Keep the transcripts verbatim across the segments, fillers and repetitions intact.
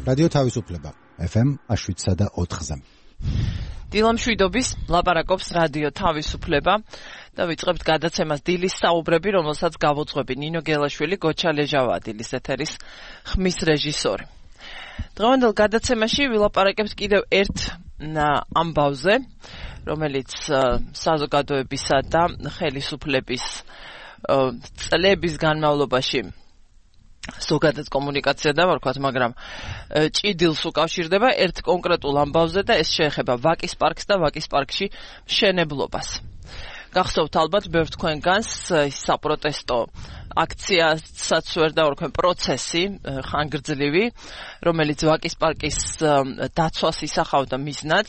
რადიო თავისუფლება ეფ ემ შვიდსა და ოთხზე. დილამ შვიდობის ლაპარაკობს რადიო თავისუფლება და ვიწყებთ გადაცემას დილის საუბრები, რომელსაც გავუძღვები ნინო გელაშვილი, გოჩა ლეჟავა, დილის ეთერის ხმის რეჟისორი. დღევანდელ გადაცემაში ვილაპარაკებთ კიდევ ერთ ამბავზე, რომელიც საზოგადოებისა და ხელისუფლების წლების განმავლობაში ზოგადად კომუნიკაცია დავარქვათ, მაგრამ ჭიდილს უკავშირდება ერთ კონკრეტულ ამბავზე და ეს შეეხება ვაკის პარკს და ვაკის პარკში მშენებლობას. გახსოვთ ალბათ ბევრ თქვენგანს ის საპროტესტო აქციასაც ვერ დავარქვენ პროცესი ხანგრძლივი, რომელიც ვაკის პარკის დაცვას ისახავდა მიზნად.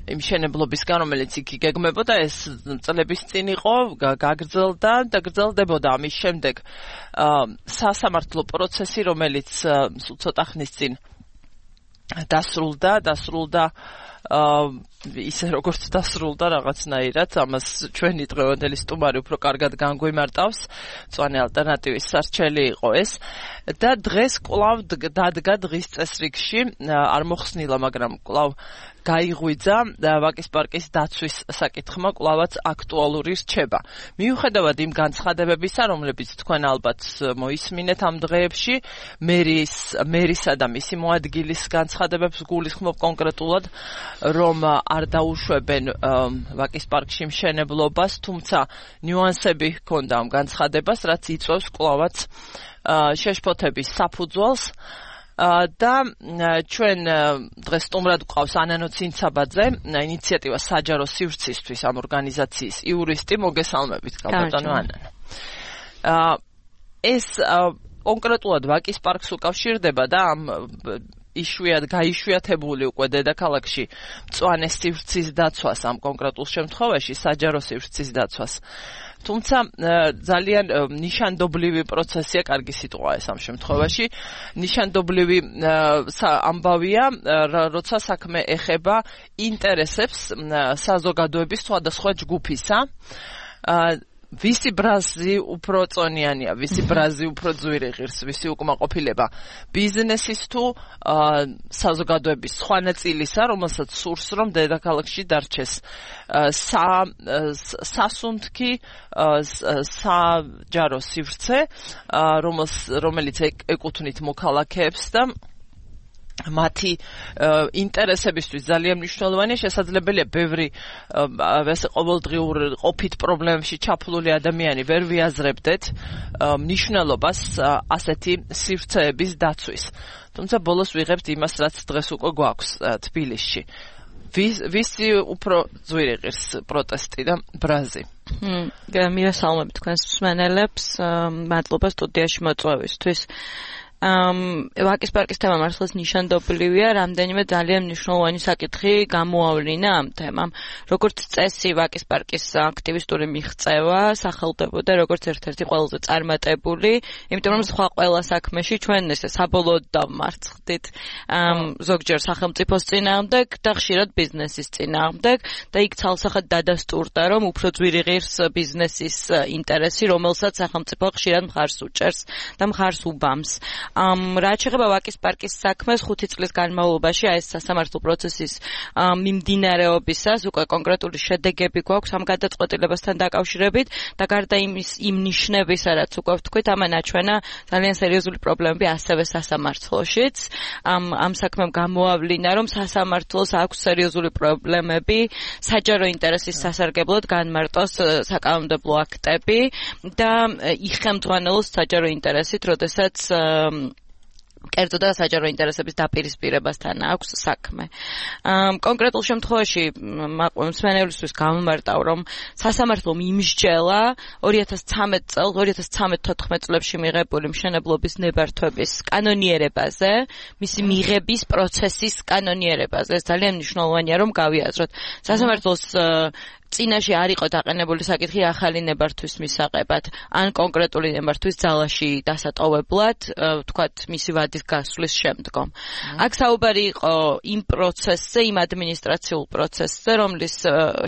იმ მშენებლობისგან, რომელიც იქ იგეგმებოდა, ეს წლების წინ იყო, გაგრძელდა და გრძელდებოდა. ამის შემდეგ სასამართლო პროცესი, რომელიც ცოტა ხნის წინ დასრულდა, დასრულდა ისე როგორც დასრულდა რაღაცნაირად, ამას ჩვენი დღევანდელი სტუმარი უფრო კარგად განგვიმარტავს, მწვანე ალტერნატივის სარჩელი იყო ეს და დღეს კვლავ დადგა დღის წესრიგში, არ მოხსნილა, მაგრამ კვლავ გაიღვიძა ვაკის პარკის დაცვის საკითხმა, კვლავაც აქტუალური რჩება. მიუხედავად იმ განცხადებებისა, რომლებიც თქვენ ალბათ მოისმინეთ ამ დღეებში, მერის მერისა და მისი მოადგილის განცხადებებს გულისხმობ კონკრეტულად, რომ არ დაუშვებენ ვაკის პარკში მშენებლობას, თუმცა ნიუანსები ჰქონდა ამ განცხადებას, რაც იწვევს კვლავაც შეშფოთების საფუძველს. და ჩვენ დღეს სტუმრად გვყავს ანანო ცინცაბაძე, ინიციატივა საჯარო სივრცისთვის ამ ორგანიზაციის იურისტი, მოგესალმებით, კალბატონო ანანო. ეს კონკრეტულად ვაკის პარკს უკავშირდება და ამ იშვიათ გაიშვიათებული უკვე დედაქალაქში მწვანე სივრცის დაცვას, ამ კონკრეტულ შემთხვევაში საჯარო სივრცის დაცვას. თუმცა ძალიან ნიშანდობლივი პროცესია, კარგი სიტყვაა ეს ამ შემთხვევაში, ნიშანდობლივი ამბავია, როცა საქმე ეხება ინტერესებს საზოგადოების სხვადასხვა ჯგუფისა. ვისი ბრაზი უფრო წონიანია, ვისი ბრაზი უფრო ძვირი ღირს, ვისი უკმაყოფილება ბიზნესის თუ საზოგადოების სხვა ნაწილისა, რომელსაც სურს, რომ დედაქალაქში დარჩეს სასუნთქი საჯარო სივრცე, რომელიც ეკუთვნით მოქალაქეებს და მათი ინტერესებისთვის ძალიან მნიშვნელოვანია. შესაძლებელია ბევრი ესე ყოველდღიურ ყოფით პრობლემებში ჩაფლული ადამიანი ვერ ვიაზრებდეთ მნიშვნელობას ასეთი სივრცეების დაცვის. თუმცა ბოლოს ვიღებთ იმას, რაც დღეს უკვე გვაქვს თბილისში. ვისი უფრო ძვირი ღირს პროტესტი და ბრაზი? მივესალმებით თქვენს მსმენელებს, მადლობა სტუდიაში მოწვევისთვის. ვაკის პარკის თემა მართლაც ნიშანდობლივია, რამდენიმე ძალიან მნიშვნელოვანი საკითხი გამოავლინა ამ თემამ. როგორც წესი, ვაკის პარკის აქტივისტური მიღწევა სახელდებოდა როგორც ერთ-ერთი ყველაზე წარმატებული, იმიტომ რომ სხვა ყველა საქმეში ჩვენ ესე საბოლოოდ დავმარცხდით ზოგჯერ სახელმწიფოს წინააღმდეგ და ხშირად ბიზნესის წინააღმდეგ და იქ ცალსახად დადასტურდა, რომ უფრო ძვირი ღირს ბიზნესის ინტერესი, რომელსაც სახელმწიფო ხშირად მხარს უჭერს და მხარს უბამს. რაც შეეხება ვაკის პარკის საქმეს, ხუთი წლის განმავლობაში ეს სასამართლო პროცესის მიმდინარეობისას უკვე კონკრეტული შედეგები გვაქვს ამ გადაწყვეტილებასთან დაკავშირებით და გარდა იმის იმ ნიშნებისა, რაც უკვე ვთქვით, ამან აჩვენა ძალიან სერიოზული პრობლემები ასევე სასამართლოშიც. ამ ამ საქმემ გამოავლინა, რომ სასამართლოს აქვს სერიოზული პრობლემები საჯარო ინტერესის სასარგებლოდ განმარტოს საკანონმდებლო აქტები და იხელმძღვანელოს საჯარო ინტერესით, როდესაც კერძო და საჯარო ინტერესების დაპირისპირებასთან აქვს საქმე. კონკრეტულ შემთხვევაში მსმენელისთვის გამომარტავ, რომ სასამართლომ იმსჯელა ორი ათას ცხრამეტ წელს, ორი ათას ცხრამეტ თოთხმეტ წლებში მიღებული მშენებლობის ნებართვების კანონიერებაზე, მისი მიღების პროცესის კანონიერებაზე. ეს ძალიან მნიშვნელოვანია, რომ გავიაზროთ. სასამართლოს წინაშე არ იყო დაყენებული საკითხი ახალი ნებართვის მისაღებად, ან კონკრეტული ნებართვის ძალაში დასატოვებლად, ვთქვათ, მისი ვადის გასვლის შემდგომ. აქ საუბარი იყო იმ პროცესზე, იმ ადმინისტრაციულ პროცესზე, რომლის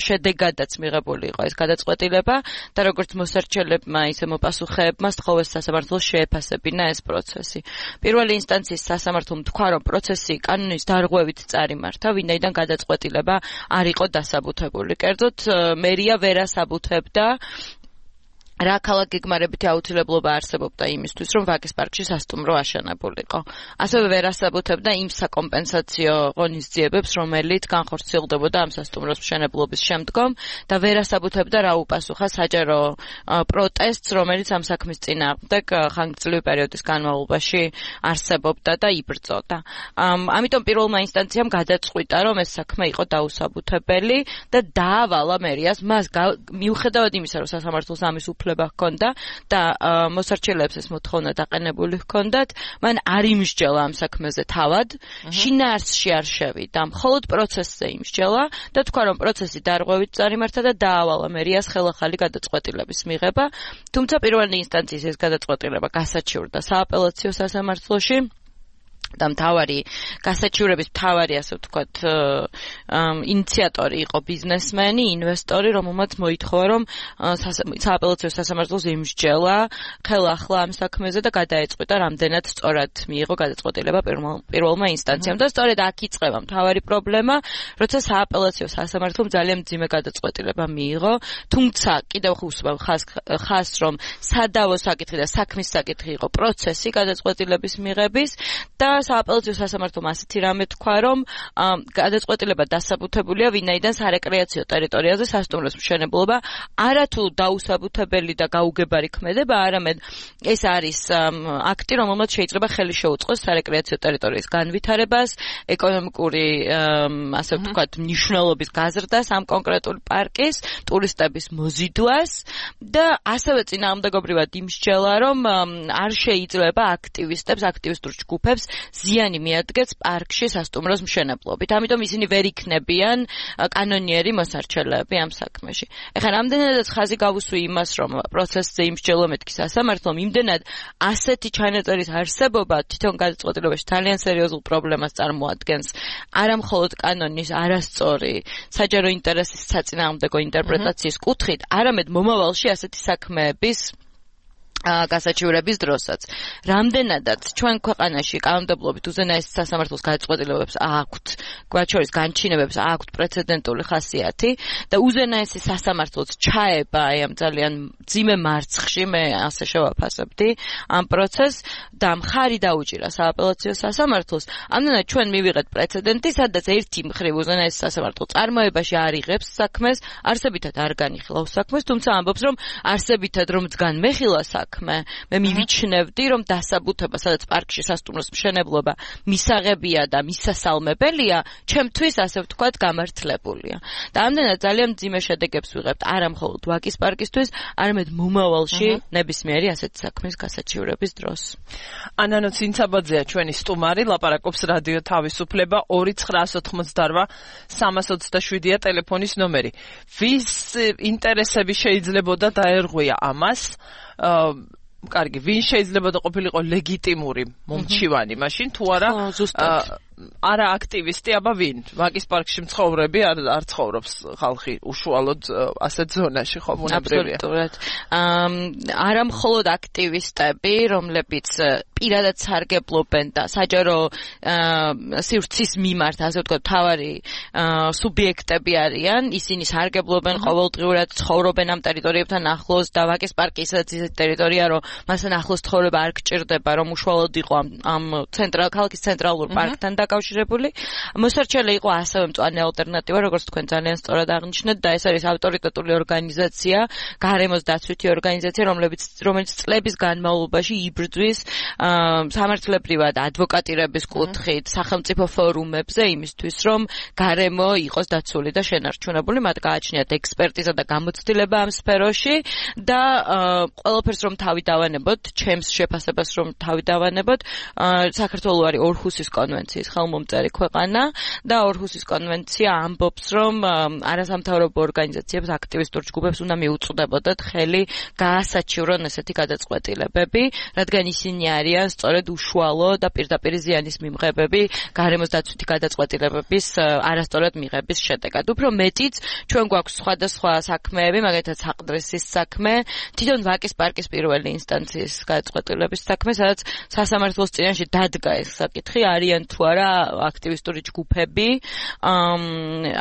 შედეგადაც მიღებული იყო ეს გადაწყვეტილება და როგორც მოსარჩელებმა, ისე მოპასუხეებმა სთხოვეს სასამართლოს შეეფასებინა ეს პროცესი. პირველი ინსტანციის სასამართლომ თქვა, რომ პროცესი კანონის დარღვევით წარიმართა, ვინაიდან გადაწყვეტილება არ იყო დასაბუთებული. კერძოდ, მერია ვერ ასაბუთებდა რა ქალაქ გეგმარებითი აუცილებლობა არსებობდა იმისთვის, რომ ვაკის პარკში სასტუმრო აშენებულიყო. ასევე ვერ ასაბუთებდა იმ საკომპენსაციო ღონისძიებებს, რომელიც განხორციელდებოდა ამ სასტუმროს მშენებლობის შემდგომ და ვერ ასაბუთებდა რა უპასუხა საჯარო პროტესტს, რომელიც ამ საქმის წინააღმდეგ ხანგრძლივი პერიოდის განმავლობაში არსებობდა და იბრძოდა. ამიტომ პირველმა ინსტანციამ გადაწყვიტა, რომ ეს საქმე იყო დაუსაბუთებელი და დაავალა მერიას მას მიუხედავად იმისა, რომ სასამართლოს ამის უფლება ჰქონდა და მოსარჩელებს ეს მოთხოვნა დაყენებული ჰქონდათ, მან არ იმსჯელა ამ საქმეზე თავად, შინაარსში არ შევიდა, მხოლოდ პროცესზე იმსჯელა და თქვა, რომ პროცესი დარღვევით წარიმართა და დაავალა მერიას ხელახალი გადაწყვეტილების მიღება, თუმცა პირველი ინსტანციის ეს გადაწყვეტილება გასაჩივრდა სააპელაციო სასამართლოში და მთავარი გასაჩივრების მთავარი ასე ვთქვათ ინიციატორი იყო ბიზნესმენი, ინვესტორი, რომელმაც მოითხოვა, რომ სააპელაციო სასამართლოს იმსჯელა ხელახლა ამ საქმეზე და გადაეწყვიტა, რამდენად სწორად მიიღო გადაწყვეტილება პირველმა ინსტანციამ და სწორედ აქ იწყება მთავარი პრობლემა, როცა სააპელაციო სასამართლომ ძალიან მძიმე გადაწყვეტილება მიიღო, თუმცა კიდევ ხუსვავ ხას, რომ სადავო საკითხი და საქმის საკითხი იყო პროცესი გადაწყვეტილების მიღების და სააპელაციო სასამართლომ ასეთი რამე თქვა, რომ გადაწყვეტილება დასაბუთებულია, ვინაიდან სარეკრეაციო ტერიტორიაზე სასტუმროს მშენებლობა არათუ დაუსაბუთებელი და გაუგებარი ქმედება, არამედ ეს არის აქტი, რომელმაც შეიძლება ხელი შეუწყოს სარეკრეაციო ტერიტორიის განვითარებას, ეკონომიკური ასე ვთქვათ მნიშვნელობის გაზრდას ამ კონკრეტული პარკის, ტურისტების მოზიდვას და ასევე წინააღმდეგობრივად იმსჯელა, რომ არ შეიძლება აქტივისტებს, აქტივისტურ ჯგუფებს ზიანი მიადგეს პარკში სასტუმროს მშენებლობით. ამიტომ ისინი ვერ იქნებიან კანონიერი მოსარჩელეები ამ საქმეში. ეხლა რამდენადაც ხაზი გავუსვი იმას, რომ პროცესზე იმსჯელო მეთქი სასამართლომ, იმდენად ასეთი ჩანაწერის არსებობა თვითონ გადაწყვეტილებაში ძალიან სერიოზულ პრობლემას წარმოადგენს. არა მხოლოდ კანონის არასწორი საჯარო ინტერესის საწინააღმდეგო ინტერპრეტაციის კუთხით, არამედ მომავალში ასეთი საქმეების გასაჩივრების დროსაც. რამდენადაც ჩვენ ქვეყანაში კანონმდებლობით უზენაეს სასამართლოს გადაწყვეტილებებს აქვთ, მათ შორის განჩინებებს აქვთ პრეცედენტული ხასიათი და უზენაესი სასამართლოც ჩაება აი ამ ძალიან მძიმე მარცხში, მე ასე შევაფასებდი ამ პროცესს და მხარი დაუჭირა სააპელაციო სასამართლოს. ამდენად ჩვენ მივიღეთ პრეცედენტი, სადაც ერთი მხრივ უზენაესი სასამართლო წარმოებაში არ იღებს საქმეს, არსებითად არ განიხილავს საქმეს, თუმცა ამბობს, რომ არსებითად რომ დგან მეხილა საქმე მე მივიჩნევდი, რომ დასაბუთება, სადაც პარკში სასტუმროს მშენებლობა მისაღებია და მისასალმებელია, ჩემთვის ასე ვთქვათ გამართლებულია. და ამდენად ძალიან მძიმე შედეგებს ვიღებთ არა მხოლოდ ვაკის პარკისთვის, არამედ მომავალში ნებისმიერი ასეთი საქმის გასაჩივრების დროს. ანანო ცინცაბაძეა ჩვენი სტუმარი, ლაპარაკობს რადიო თავისუფლება ორი ცხრა ოცდაოთხმოცდაოთხ სამას ოცდაშვიდია ტელეფონის ნომერი. ვის ინტერესები შეიძლებოდა დაერღვია ამას? კარგი, ვინ შეიძლება და ყოფილიყო ლეგიტიმური მომჩივანი მაშინ თუ არა არა აქტივისტი, აბა ვინ? ვაკის პარკში მცხოვრები არ არ ცხოვრობს ხალხი უშუალოდ ასეთ ზონაში, ხო, მონაბრევია. აბსოლუტურად. არა მხოლოდ აქტივისტები, რომლებიც პირადად სარგებლობენ და საჯარო სივრცის მიმართ, ასე ვთქვათ, მთავარი სუბიექტები არიან, ისინი სარგებლობენ ყოველდღიურად, ცხოვრობენ ამ ტერიტორიებთან ახლოს და ვაკის პარკი ისედაც ისეთი ტერიტორია, რომ მასთან ახლოს ცხოვრება არ გჭირდება, რომ უშუალოდ იყო ამ ამ ცენტრალ ქალაქის ცენტრალურ პარკთან დაკავშირებული. მოსარჩელე იყო ასევე მწვანე ალტერნატივა, როგორც თქვენ ძალიან სწორად აღნიშნეთ და ეს არის ავტორიტეტული ორგანიზაცია, გარემოს დაცვითი ორგანიზაცია, რომლებიც რომელიც წლების განმავლობაში იბრძვის სამართლებრივად ადვოკატირების კუთხით, სახელმწიფო ფორუმებზე იმისთვის, რომ გარემო იყოს დაცული და შენარჩუნებული, მათ გააჩნიათ ექსპერტიზა და გამოცდილება ამ სფეროში და ყველაფერს რომ თავი დავანებოთ, ჩემს შეფასებას რომ თავი დავანებოთ, საქართველო არის ორჰუსის კონვენციის ხელმომწერი ქვეყანა და ორჰუსის კონვენცია ამბობს, რომ არასამთავრობო ორგანიზაციებს, აქტივისტურ ჯგუფებს უნდა მიუწვდებოდათ ხელი გაასაჩივრონ ესეთი გადაწყვეტილებები, რადგან ისინი არიან სწორედ უშუალო და პირდაპირ ზიანის მიმღებები გარემოს დაცვითი გადაწყვეტილებების არასწორად მიღების შედეგად. უფრო მეტიც, ჩვენ გვაქვს სხვადასხვა საქმეები, მაგალითად საყდრესის საქმე, თვითონ ვაკის პარკის პირველი ინსტანციის გადაწყვეტილების საქმე, სადაც სასამართლოს წინაშე დადგა ეს საკითხი, არიან თუ არა აქტივისტური ჯგუფები,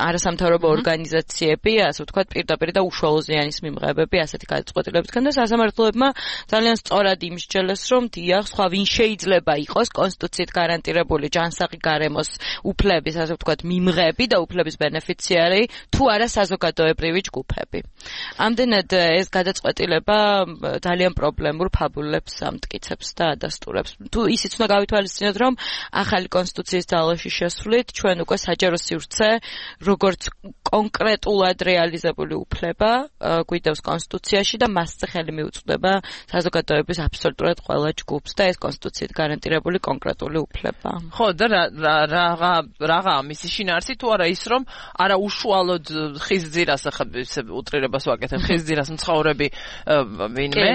არასამთავრობო ორგანიზაციები, ასე ვთქვათ, პირდაპირ და უშუალო ზიანის მიმღებები ასეთი გადაწყვეტილებისგან და სასამართლოებმა ძალიან სწორად იმსჯელეს, რომ დიახ, სხვა ვინ შეიძლება იყოს კონსტიტუციით გარანტირებული ჯანსაღი გარემოს უფლების, ასე ვთქვათ, მიმღები და უფლების ბენეფიციარი, თუ არა საზოგადოებრივი ჯგუფები. ამდენად ეს გადაწყვეტილება ძალიან პრობლემურ ფაბულებს ამტკიცებს და ადასტურებს. თუ ისიც უნდა გავითვალისწინოთ, რომ ახალი კონსტიტუციის ძალაში შესვლით ჩვენ უკვე საჯარო სივრცე, როგორც კონკრეტულად რეალიზებული უფლება გვიდევს კონსტიტუციაში და მასზე ხელი მიუწვდება საზოგადოების აბსოლუტურად ყველა ჯგუფს და ეს კონსტიტუციით გარანტირებული კონკრეტული უფლება. ხო და რაღა რაღა მისი შინაარსი თუ არა ის რომ არა უშუალოდ ხიზძირას ახლა უტრირებას ვაკეთებ ხიზძირას მცხოვრები ვინმე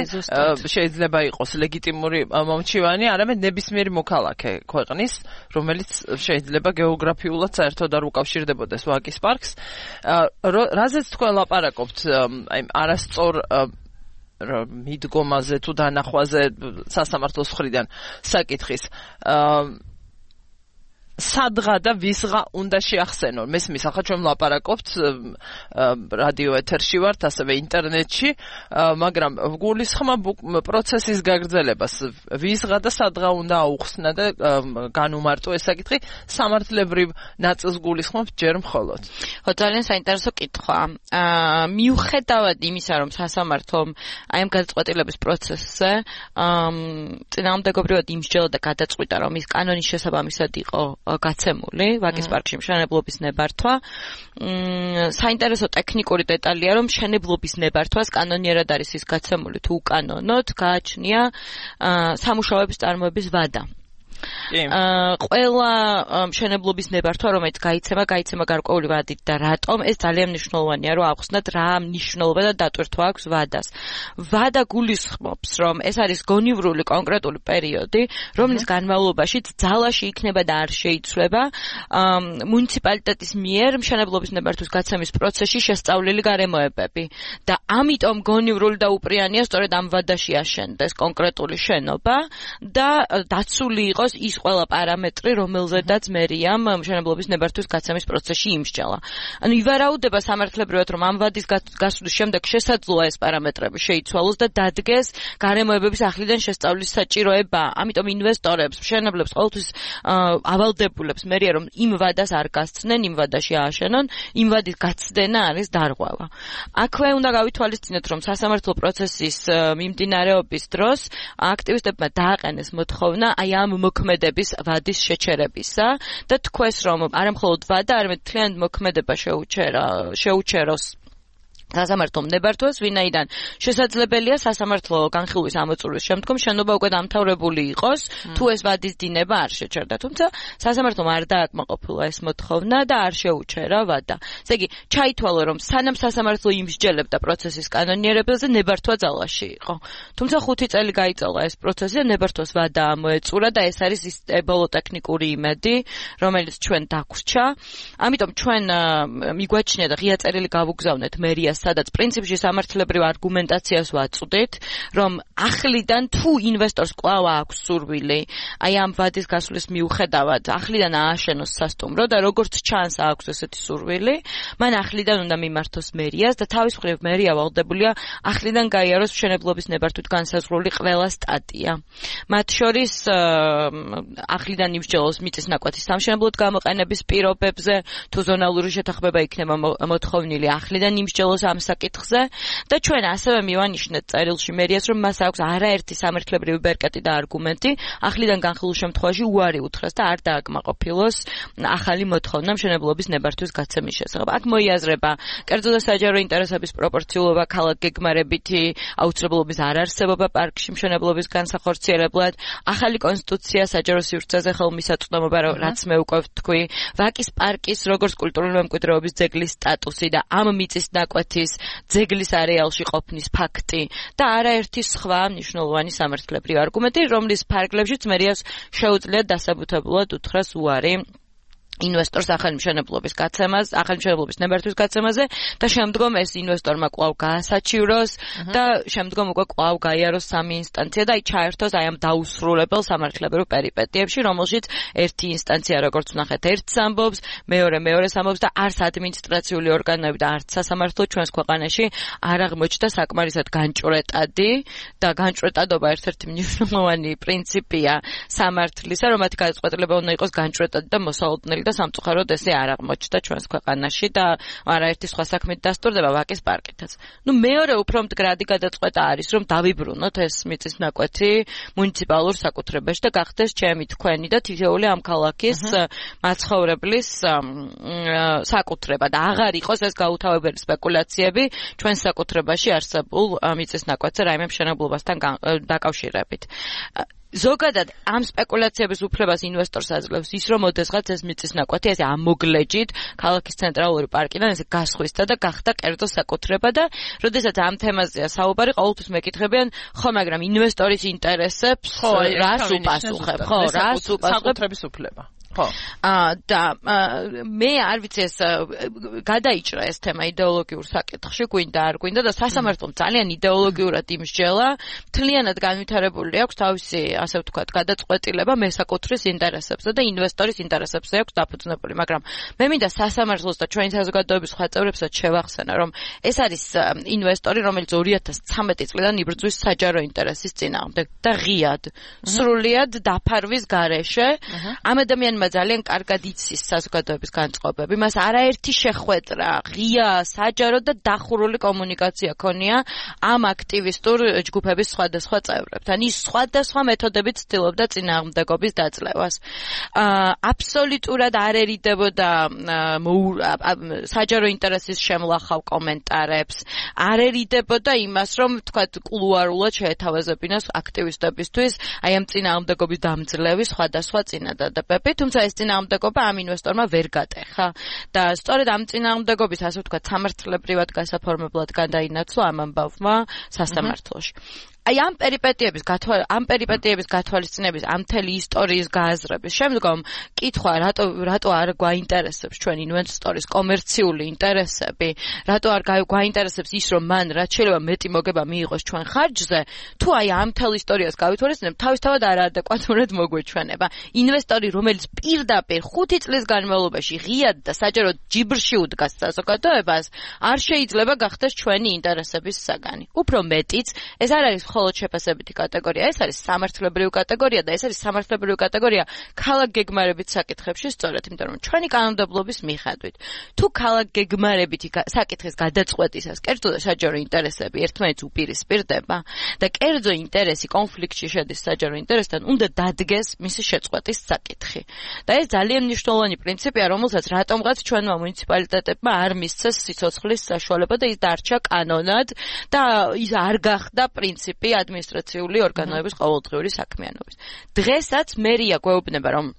შეიძლება იყოს ლეგიტიმური მომჩივანი, არამედ ნებისმიერი მოქალაქე ქვეყნის, რომელიც შეიძლება გეოგრაფიულად საერთოდ არ უკავშირდებოდეს ვაკის პარკს. რაზეც თქვენ ლაპარაკობთ, აი არასწორ მიდგომაზე თუ დანახვაზე სასამართლოს მხრიდან საკითხის სადღა და ვისღა უნდა შეახსენონ. მესმის, ახლა ჩვენ ვლაპარაკობთ რადიო ეთერში ვართ, ასევე ინტერნეტში, მაგრამ ვგულისხმა პროცესის გაგრძელებას. ვისღა და სადღა უნდა აუხსნა და განუმარტო ეს საკითხი სამართლებრივ ნაწილს გულისხმობთ ჯერ მხოლოდ. ხო, ძალიან საინტერესო კითხვა. მიუხედავად იმისა, რომ სასამართლომ აი ამ გადაწყვეტილების პროცესზე წინააღმდეგობრივად იმსჯელა და გადაწყვიტა, რომ ის კანონის შესაბამისად იყო გაცემული ვაკის პარკში მშენებლობის ნებართვა. საინტერესო ტექნიკური დეტალია, რომ მშენებლობის ნებართვას კანონიერად არის ის გაცემული თუ უკანონოდ გააჩნია სამუშაოების წარმოების ვადა. ყველა მშენებლობის ნებართვა, რომელიც გაიცემა, გაიცემა გარკვეული ვადით და რატომ ეს ძალიან მნიშვნელოვანია, რომ ავხსნათ რა მნიშვნელობა და დატვირთვა აქვს ვადას. ვადა გულისხმობს, რომ ეს არის გონივრული კონკრეტული პერიოდი, რომლის განმავლობაში ძალაში იქნება და არ შეიცვლება მუნიციპალიტეტის მიერ მშენებლობის ნებართვის გაცემის პროცესში შესწავლილი გარემოებები და ამიტომ გონივრული და უპრიანია სწორედ ამ ვადაში აშენდეს კონკრეტული შენობა და დაცული იყოს ის ყველა პარამეტრი, რომელზედაც მერიამ მშენებლობის ნებართვის გაცემის პროცესში იმსჯელა. ანუ ივარაუდება სამართლებრივად, რომ ამ ვადის გასვლის შემდეგ შესაძლოა ეს პარამეტრები შეიცვალოს და დადგეს გარემოებების ახლიდან შესწავლის საჭიროება. ამიტომ ინვესტორებს, მშენებლებს ყოველთვის ავალდებულებს მერია, რომ იმ ვადას არ გასცდნენ, იმ ვადაში ააშენონ, იმ ვადის გაცდენა არის დარღვევა. აქვე უნდა გავითვალისწინოთ, რომ სასამართლო პროცესის მიმდინარეობის დროს აქტივისტებმა დააყენეს მოთხოვნა აი ამ მოქმედების ვადის შეჩერებისა და თქვეს, რომ არა მხოლოდ ვადა, არამედ მთლიანად მოქმედება შეუჩერა, შეუჩეროს სასამართლომ ნებართვას, ვინაიდან შესაძლებელია სასამართლო განხილვის ამოწურვის შემდგომ შენობა უკვე დამთავრებული იყოს, თუ ეს ვადის დინება არ შეჩერდა. თუმცა სასამართლომ არ დააკმაყოფილა ეს მოთხოვნა და არ შეუჩერა ვადა. ესე იგი, ჩაითვალა, რომ სანამ სასამართლო იმსჯელებდა პროცესის კანონიერებაზე, ნებართვა ძალაში იყო. თუმცა ხუთი წელი გაიწელა ეს პროცესი და ნებართვას ვადა ამოეწურა და ეს არის ის ბოლო ტექნიკური იმედი, რომელიც ჩვენ დაგვრჩა. ამიტომ ჩვენ მიგვაჩნია და ღია წერილი გავუგზავნეთ მერიას, სადაც პრინციპში სამართლებრივ არგუმენტაციას ვაწვდით, რომ ახლიდან თუ ინვესტორს კვლავ აქვს სურვილი, აი ამ ვადის გასვლის მიუხედავად, ახლიდან ააშენოს სასტუმრო და როგორც ჩანს აქვს ესეთი სურვილი, მან ახლიდან უნდა მიმართოს მერიას და თავის მხრივ მერია ვალდებულია ახლიდან გაიაროს მშენებლობის ნებართვით განსაზღვრული ყველა სტატია. მათ შორის ახლიდან იმსჯელოს მიწის ნაკვეთის სამშენებლოდ გამოყენების პირობებზე, თუ ზონალური შეთანხმება იქნება მოთხოვნილი, ახლიდან იმსჯელოს ამ საკითხზე და ჩვენ ასევე მივანიშნეთ წერილში მერიას, რომ მას აქვს არაერთი სამართლებრივი ბერკეტი და არგუმენტი ახლიდან განხილულ შემთხვევაში უარი უთხრას და არ დააკმაყოფილოს ახალი მოთხოვნა მშენებლობის ნებართვის გაცემის შესახებ. აქ მოიაზრება კერძო და საჯარო ინტერესების პროპორციულობა, ქალაქგეგმარებითი აუცილებლობის არარსებობა პარკში მშენებლობის განსახორციელებლად, ახალი კონსტიტუცია საჯარო სივრცეზე ხელმისაწვდომობა, რაც მე უკვე ვთქვი, ვაკის პარკის როგორც კულტურული მემკვიდრეობის ძეგლის სტატუსი და ამ მიწის ნაკვეთის ძეგლის არეალში ყოფნის ფაქტი და არაერთი სხვა მნიშვნელოვანი სამართლებრივი არგუმენტი, რომლის ფარგლებშიც მერიას შეუძლია დასაბუთებულად უთხრას უარი ინვესტორს ახალი მშენებლობის გაცემას, ახალი მშენებლობის ნებართვის გაცემაზე და შემდგომ ეს ინვესტორმა კვლავ გაასაჩივროს და შემდგომ უკვე კვლავ გაიაროს სამი ინსტანცია და აი ჩაერთოს აი ამ დაუსრულებელ სამართლებრივ პერიპეტიებში, რომელშიც ერთი ინსტანცია როგორც ვნახეთ ერთს ამბობს, მეორე მეორეს ამბობს და არც ადმინისტრაციული ორგანოები და არც სასამართლო ჩვენს ქვეყანაში არ აღმოჩნდა საკმარისად განჭვრეტადი და განჭვრეტადობა ერთ-ერთი მნიშვნელოვანი პრინციპია სამართლისა, რომ მათი გადაწყვეტილება უნდა იყოს განჭვრეტადი და მოსალოდნელი და სამწუხაროდ ესე არ აღმოჩნდა ჩვენს ქვეყანაში და არაერთი სხვა საქმით დასტურდება ვაკის პარკითაც. ნუ მეორე უფრო მდგრადი გადაწყვეტა არის, რომ დავიბრუნოთ ეს მიწის ნაკვეთი მუნიციპალურ საკუთრებაში და გახდეს ჩემი, თქვენი და თითოეული ამ ქალაქის მაცხოვრებლის საკუთრება და აღარ იყოს ეს გაუთავებელი სპეკულაციები ჩვენს საკუთრებაში არსებულ მიწის ნაკვეთზე რაიმე მშენებლობასთან დაკავშირებით. ზოგადად ამ სპეკულაციების უფლებას ინვესტორს აძლევს ის, რომ ოდესღაც ეს მიწის ნაკვეთი ესე ამოგლეჯით ქალაქის ცენტრალური პარკიდან ესე გასხვისდა და გახდა კერძო საკუთრება და როდესაც ამ თემაზეა საუბარი, ყოველთვის მეკითხებიან, ხო, მაგრამ ინვესტორის ინტერესებს რას უპასუხებ, ხო, რას უპასუხებ საკუთრების უფლება. ხო. აა და მე არ ვიცი ეს გადაიჭრა ეს თემა იდეოლოგიურ საკითხში, გვინდა არ გვინდა და სასამართლომ ძალიან იდეოლოგიურად იმსჯელა, მთლიანად განვითარებული აქვს თავისი, ასე ვთქვათ, გადაწყვეტილება მესაკუთრის ინტერესებზე და ინვესტორის ინტერესებზე აქვს დაფუძნებული, მაგრამ მე მინდა სასამართლოს და ჩვენი საზოგადოების სხვა წევრებსაც შევახსენა, რომ ეს არის ინვესტორი, რომელიც ორი ათას ცხრამეტი წლიდან იბრძვის საჯარო ინტერესის წინააღმდეგ და ღიად, სრულიად დაფარვის გარეშე ამ ადამიანმა ძალიან კარგად იცის საზოგადოების განწყობები, მას არაერთი შეხვედრა, ღია, საჯარო და დახურული კომუნიკაცია ქონია ამ აქტივისტურ ჯგუფების სხვადასხვა წევრებთან. ის სხვადასხვა მეთოდებით ცდილობდა წინააღმდეგობის დაძლევას. აბსოლუტურად არ ერიდებოდა საჯარო ინტერესის შემლახავ კომენტარებს, არ ერიდებოდა იმას, რომ თქვათ კულუარულად შეეთავაზებინოს აქტივისტებისთვის აი ამ წინააღმდეგობის დამძლევის სხვადასხვა წინადადებები, თუმცა ეს წინააღმდეგობა ამ ინვესტორმა ვერ გატეხა და სწორედ ამ წინააღმდეგობის, ასე ვთქვათ, სამართლებრივად გასაფორმებლად გადაინაცვლა ამ ამბავმა სასამართლოში. აი ამ პერიპეტიების გათვალ ამ პერიპეტიების გათვალისწინების ამ მთელი ისტორიის გააზრების შემდგომ კითხვა რატო რატო არ გვაინტერესებს ჩვენ ინვესტორის კომერციული ინტერესები, რატო არ გვაინტერესებს ის, რომ მან რაც შეიძლება მეტი მოგება მიიღოს ჩვენ ხარჯზე, თუ აი ამ მთელ ისტორიას გავითვალისწინებ, თავისთავად არაადეკვატურად მოგვეჩვენება. ინვესტორი, რომელიც პირდაპირ ხუთი წლის განმავლობაში ღიად და საჯაროდ ჯიბრში უდგას საზოგადოებას, არ შეიძლება გახდეს ჩვენი ინტერესების საგანი. უფრო მეტიც, ეს არ არის მხოლოდ შეფასებითი კატეგორია, ეს არის სამართლებრივი კატეგორია და ეს არის სამართლებრივი კატეგორია ქალაქგეგმარებით საკითხებში სწორედ, იმიტომ რომ ჩვენი კანონმდებლობის მიხედვით, თუ ქალაქგეგმარებითი საკითხის გადაწყვეტისას კერძო და საჯარო ინტერესები ერთმანეთს უპირისპირდება და კერძო ინტერესი კონფლიქტში შედის საჯარო ინტერესთან, უნდა დადგეს მისი შეწყვეტის საკითხი. და ეს ძალიან მნიშვნელოვანი პრინციპია, რომელსაც რატომღაც ჩვენმა მუნიციპალიტეტებმა არ მისცეს სიცოცხლის საშუალება და ის დარჩა კანონად და ის არ გახდა პრინციპი ადმინისტრაციული ორგანოების ყოველდღიური საქმიანობის. დღესაც მერია გვეუბნება, რომ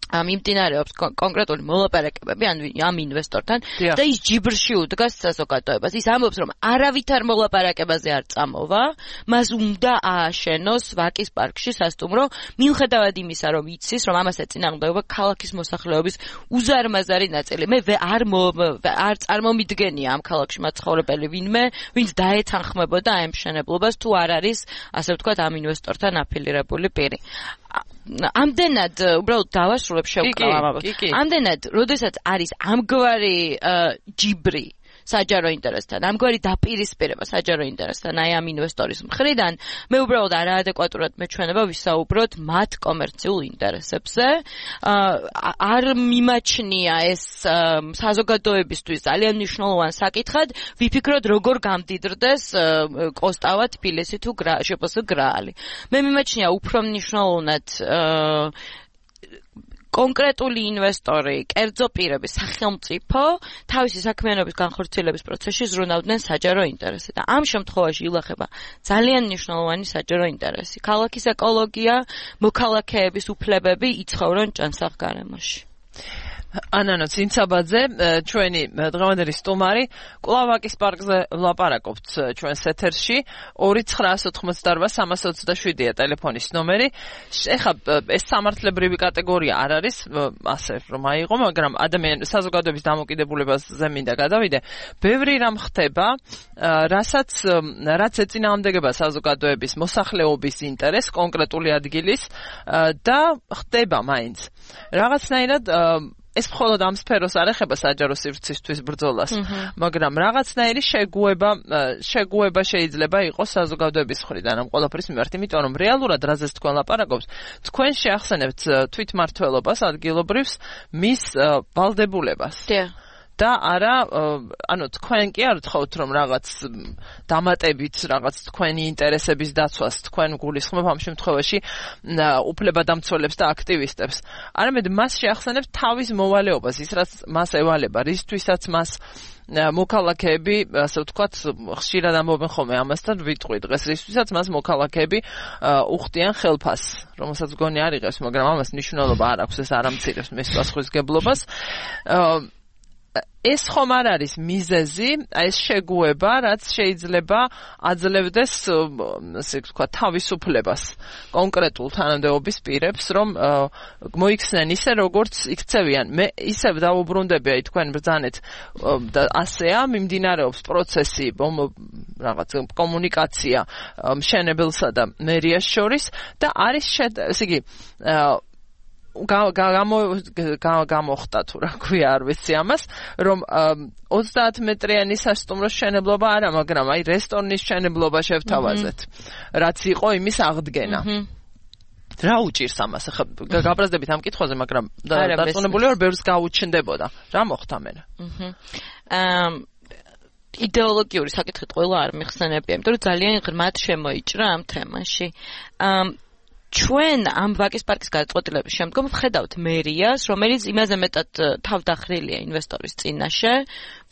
მიმდინარეობს კონკრეტული მოლაპარაკებები ამ ინვესტორთან და ის ჯიბრში უდგას საზოგადოებას. ის ამბობს, რომ არავითარ მოლაპარაკებაზე არ წამოვა, მას უნდა ააშენოს ვაკის პარკში სასტუმრო, მიუხედავად იმისა, რომ იცის, რომ ამას ეწინააღმდეგება ქალაქის მოსახლეობის უზარმაზარი ნაწილი. მე არ არ წარმომიდგენია ამ ქალაქში მაცხოვრებელი ვინმე, ვინც დაეთანხმებოდა ამ მშენებლობას, თუ არ არის, ასე ვთქვათ, ამ ინვესტორთან აფილირებული პირი. ამდენად უბრალოდ დავასრულებ შევკრავ ამბავს. ამდენად, როდესაც არის ამგვარი ჯიბრი საჯარო ინტერესთან. ამგვარი დაპირისპირება საჯარო ინტერესთან აი ამ ინვესტორის მხრიდან მე უბრალოდ არაადეკვატურად მეჩვენება ვისაუბროთ მათ კომერციულ ინტერესებზე. არ მიმაჩნია ეს საზოგადოებისთვის ძალიან მნიშვნელოვან საკითხად ვიფიქროთ როგორ გამდიდრდეს კოსტავა თბილისი თუ შპს გრაალი. მე მიმაჩნია უფრო მნიშვნელოვნად კონკრეტული ინვესტორი, კერძო პირები, სახელმწიფო თავისი საქმიანობის განხორციელების პროცესში ზრუნავდნენ საჯარო ინტერესზე და ამ შემთხვევაში ილახება ძალიან მნიშვნელოვანი საჯარო ინტერესი. ქალაქის ეკოლოგია, მოქალაქეების უფლებები იცხოვრონ ჭანსაღ გარემოში. ანანო ცინცაბაძე, ჩვენი დღევანდელი სტუმარი, კვლავ-ვაკის პარკზე ვლაპარაკობთ ჩვენს ეთერში. ორი ცხრაას ოთხმოცდაორვა სამას ოცდაშვიდია ტელეფონის ნომერი. ეხლა ეს სამართლებრივი კატეგორია არ არის, ასე რომ აიღო, მაგრამ ადამიან საზოგადოების დამოკიდებულებაზე მინდა გადავიდე. ბევრი რამ ხდება, რასაც რაც ეწინააღმდეგება საზოგადოების მოსახლეობის ინტერესს, კონკრეტული ადგილის და ხდება მაინც. რაღაცნაირად ეს მხოლოდ ამ სფეროს არ ეხება საჯარო სივრცისთვის ბრძოლას, მაგრამ რაღაცნაირი შეგუება შეგუება შეიძლება იყოს საზოგადოების მხრიდან ამ ყველაფრის მიმართ, იმიტომ რომ რეალურად რაზეც თქვენ ლაპარაკობთ, თქვენ შეახსენებთ თვითმმართველობას ადგილობრივს მის ვალდებულებას. და არა, ანუ თქვენ კი არ ვთხოვთ რომ რაღაც დამატებით რაღაც თქვენი ინტერესების დაცვას თქვენ გულისხმობ ამ შემთხვევაში უფლებადამცველებს და აქტივისტებს. არამედ მას შეახსენებთ თავის მოვალეობას, ის რაც მას ევალება, რისთვისაც მას მოქალაქეები, ასე ვთქვათ, ხშირად ამბობენ ხოლმე ამასთან ვიტყვი დღეს, რისთვისაც მას მოქალაქეები უხდიან ხელფასს, რომელსაც გონი არ იღებს, მაგრამ ამას მნიშვნელობა არ აქვს, ეს არ ამცირებს მის პასუხისგებლობას. ეს ხომ არ არის მიზეზი, ეს შეგუება, რაც შეიძლება აძლევდეს, ასე ვთქვათ, თავისუფლებას კონკრეტულ თანამდებობის პირებს, რომ მოიქცნენ ისე, როგორც იქცევიან. მე ისევ დავუბრუნდები აი თქვენ ბრძანეთ და ასეა, მიმდინარეობს პროცესი, რაღაც კომუნიკაცია მშენებელსა და მერიას შორის და არის ესე იგი გამოხდა თუ რა ქვია არ ვიცი ამას, რომ ოცდაათ მეტრიანი სასტუმრო შენებლობა არა, მაგრამ აი რესტორნის შენებლობა შევთავაზეთ, რაც იყო იმის აღდგენა. რა უჭირს ამას? ახლა გაბრაზდებით ამ კითხვაზე, მაგრამ დარწმუნებული ვარ, ბევრს გაუჩნდებოდა. რა მოხდა მერე? აა იდეოლოგიური საკითხით ყველა არ მიხსენებია, იმიტომ რომ ძალიან ღრმად შემოიჭრა ამ თემაში. აა ჩვენ ამ ვაკის პარკის გადაწყვეტილების შემდგომ ვხედავთ მერიას, რომელიც იმაზე მეტად თავდახრილია ინვესტორის წინაშე,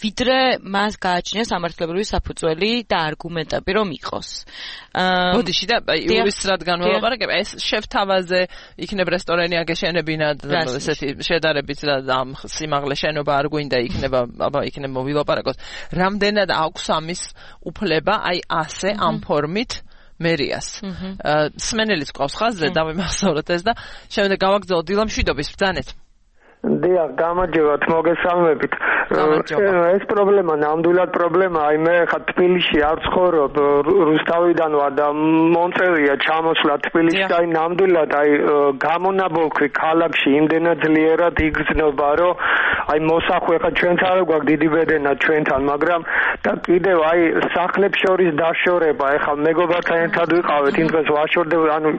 ვიდრე მას გააჩნია სამართლებრივი საფუძველი და არგუმენტები რომ იყოს. ბოდიში და იურისტად განველაპარაკებ, ეს შევთავაზე, იქნებ რესტორანი აგეშენებინა, ესეთი შედარებით და ამ სიმაღლე შენობა არ გვინდა იქნება, აბა იქნებ მოვილაპარაკოთ. რამდენად აქვს ამის უფლება, აი ასე ამ ფორმით მერიას. სმენელიც ყავს ხაზზე, დავიმახსოვროთ ეს და შემდეგ გავაგზავნოთ დილამ შვიდობის ბრძანეთ. დიახ, გამარჯობათ, მოგესალმებით. ეს პრობლემა ნამდვილად პრობლემა, აი მე ხა თბილისში არ ვცხოვრობ, რუსთავიდან ვარ და მომწევია ჩამოსვლა თბილისში, აი ნამდვილად აი გამონაბოლქვი ქალაქში იმდენად ძლიერად იგრძნობა, რომ აი მოსახვე ხა ჩვენც არ გვაქვს დიდი ბედენა ჩვენთან, მაგრამ და კიდევ აი სახლებს შორის დაშორება, ეხლა მეგობართან ერთად ვიყავით, იმ დღეს ვაშორდება, ანუ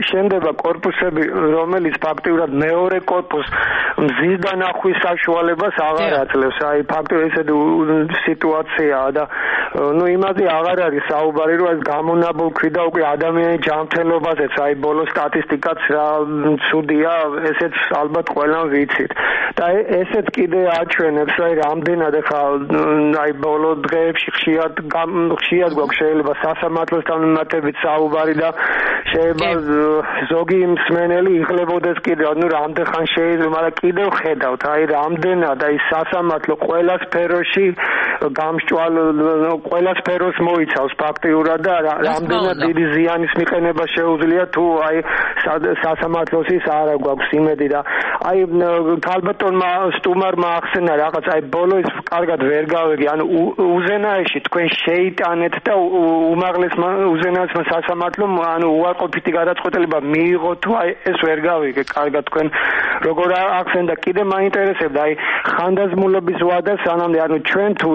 შენდება კორპუსები, რომელიც ფაქტიურად მეორე კორპუსს მზის დანახვის საშუალებას აღარ აძლევს. აი ფაქტობრივად ესეთი სიტუაციაა და ნუ იმაზე აღარ არის საუბარი, რომ ეს გამონაბოლქვი და უკვე ადამიანის ჯანმრთელობაზეც აი ბოლო სტატისტიკაც რა ცუდია, ესეც ალბათ ყველამ ვიცით. და ესეც კიდე აჩვენებს, აი რამდენად ახლა აი ბოლო დღეებში ხშირად ხშირად გვაქვს შეიძლება სასამართლოსთან მიმართებით საუბარი და შეიძლება ზოგი მსმენელი იხლებოდეს კიდევ, ნუ რამდენხან შეიძლება, მაგრამ კიდევ ხედავთ, აი რამდენად აი სასამართლო ყველა სფეროში გამსჭვალ ყველა სფეროს მოიცავს ფაქტიურად და რამდენად დიდი ზიანის მიყენება შეუძლია თუ აი სასამართლოსის არა გვაქვს იმედი და აი ქალბატონმა სტუმარმა ახსენა რაღაც აი ბოლო ის კარგად ვერ გავიგე, ანუ უზენაეში თქვენ შეიტანეთ და უმაღლეს უზენაეს სასამართლომ ანუ უარ უარყოფითი გადაწყვეტილება მიიღო თუ აი ეს ვერ გავიგე კარგად თქვენ როგორ აქცენტა კიდე მაინტერესებდა აი ხანდაზმულობის ვადა სანამდე ანუ ჩვენ თუ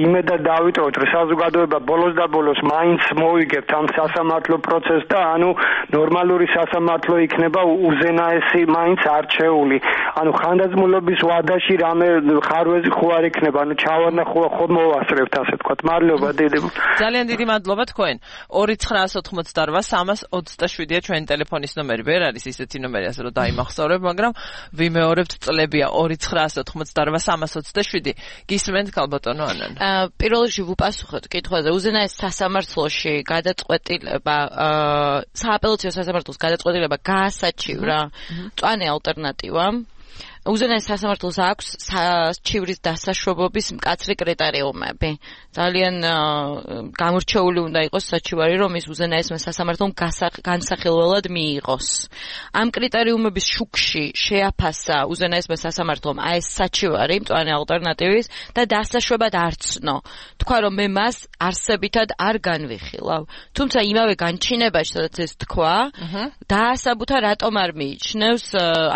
იმედად დავიტოვოთ რომ საზოგადოება ბოლოს და ბოლოს მაინც მოვიგებთ ამ სასამართლო პროცესს და ანუ ნორმალური სასამართლო იქნება უზენაესი მაინც არჩეული ანუ ხანდაზმულობის ვადაში რამე ხარვეზი ხო არ იქნება ანუ ჩავარნა ხო ხო მოვასწრებთ ასე თქვათ მადლობა დიდი ძალიან დიდი მადლობა თქვენ ორი ცხრაას ოთხმოცდაოთხ სამას ოცდაშვიდია ჩვენი ტელეფონის ნომერი ვერ არის ისეთი ნომერი ასე რომ დაიმახსოვრებ მაგრამ ვიმეორებთ წლებია ორი ცხრაას ოთხმოცდაოთხ სამას ოცდაშვიდი გისმენთ ქალბატონო ანან პირველ რიგში ვუპასუხოთ კითხვაზე უზენაეს სასამართლოში გადაწყვეტილება სააპელაციო სასამართლოს გადაწყვეტილება გაასაჩივრა მწვანე ალტერნატივა უზენაეს სასამართლოს აქვს საჩივრის დასაშვებობის მკაცრი კრიტერიუმები. ძალიან გამორჩეული უნდა იყოს საჩივარი, რომ ის უზენაესმა სასამართლომ განსახილველად მიიღოს. ამ კრიტერიუმების შუქში შეაფასა უზენაესმა სასამართლომ აი ეს საჩივარი მწვანე ალტერნატივის და დასაშვებად არ ცნო. თქვა რომ მე მას არსებითად არ განვიხილავ. თუმცა იმავე განჩინებაში, სადაც ეს თქვა, დაასაბუთა რატომ არ მიიჩნევს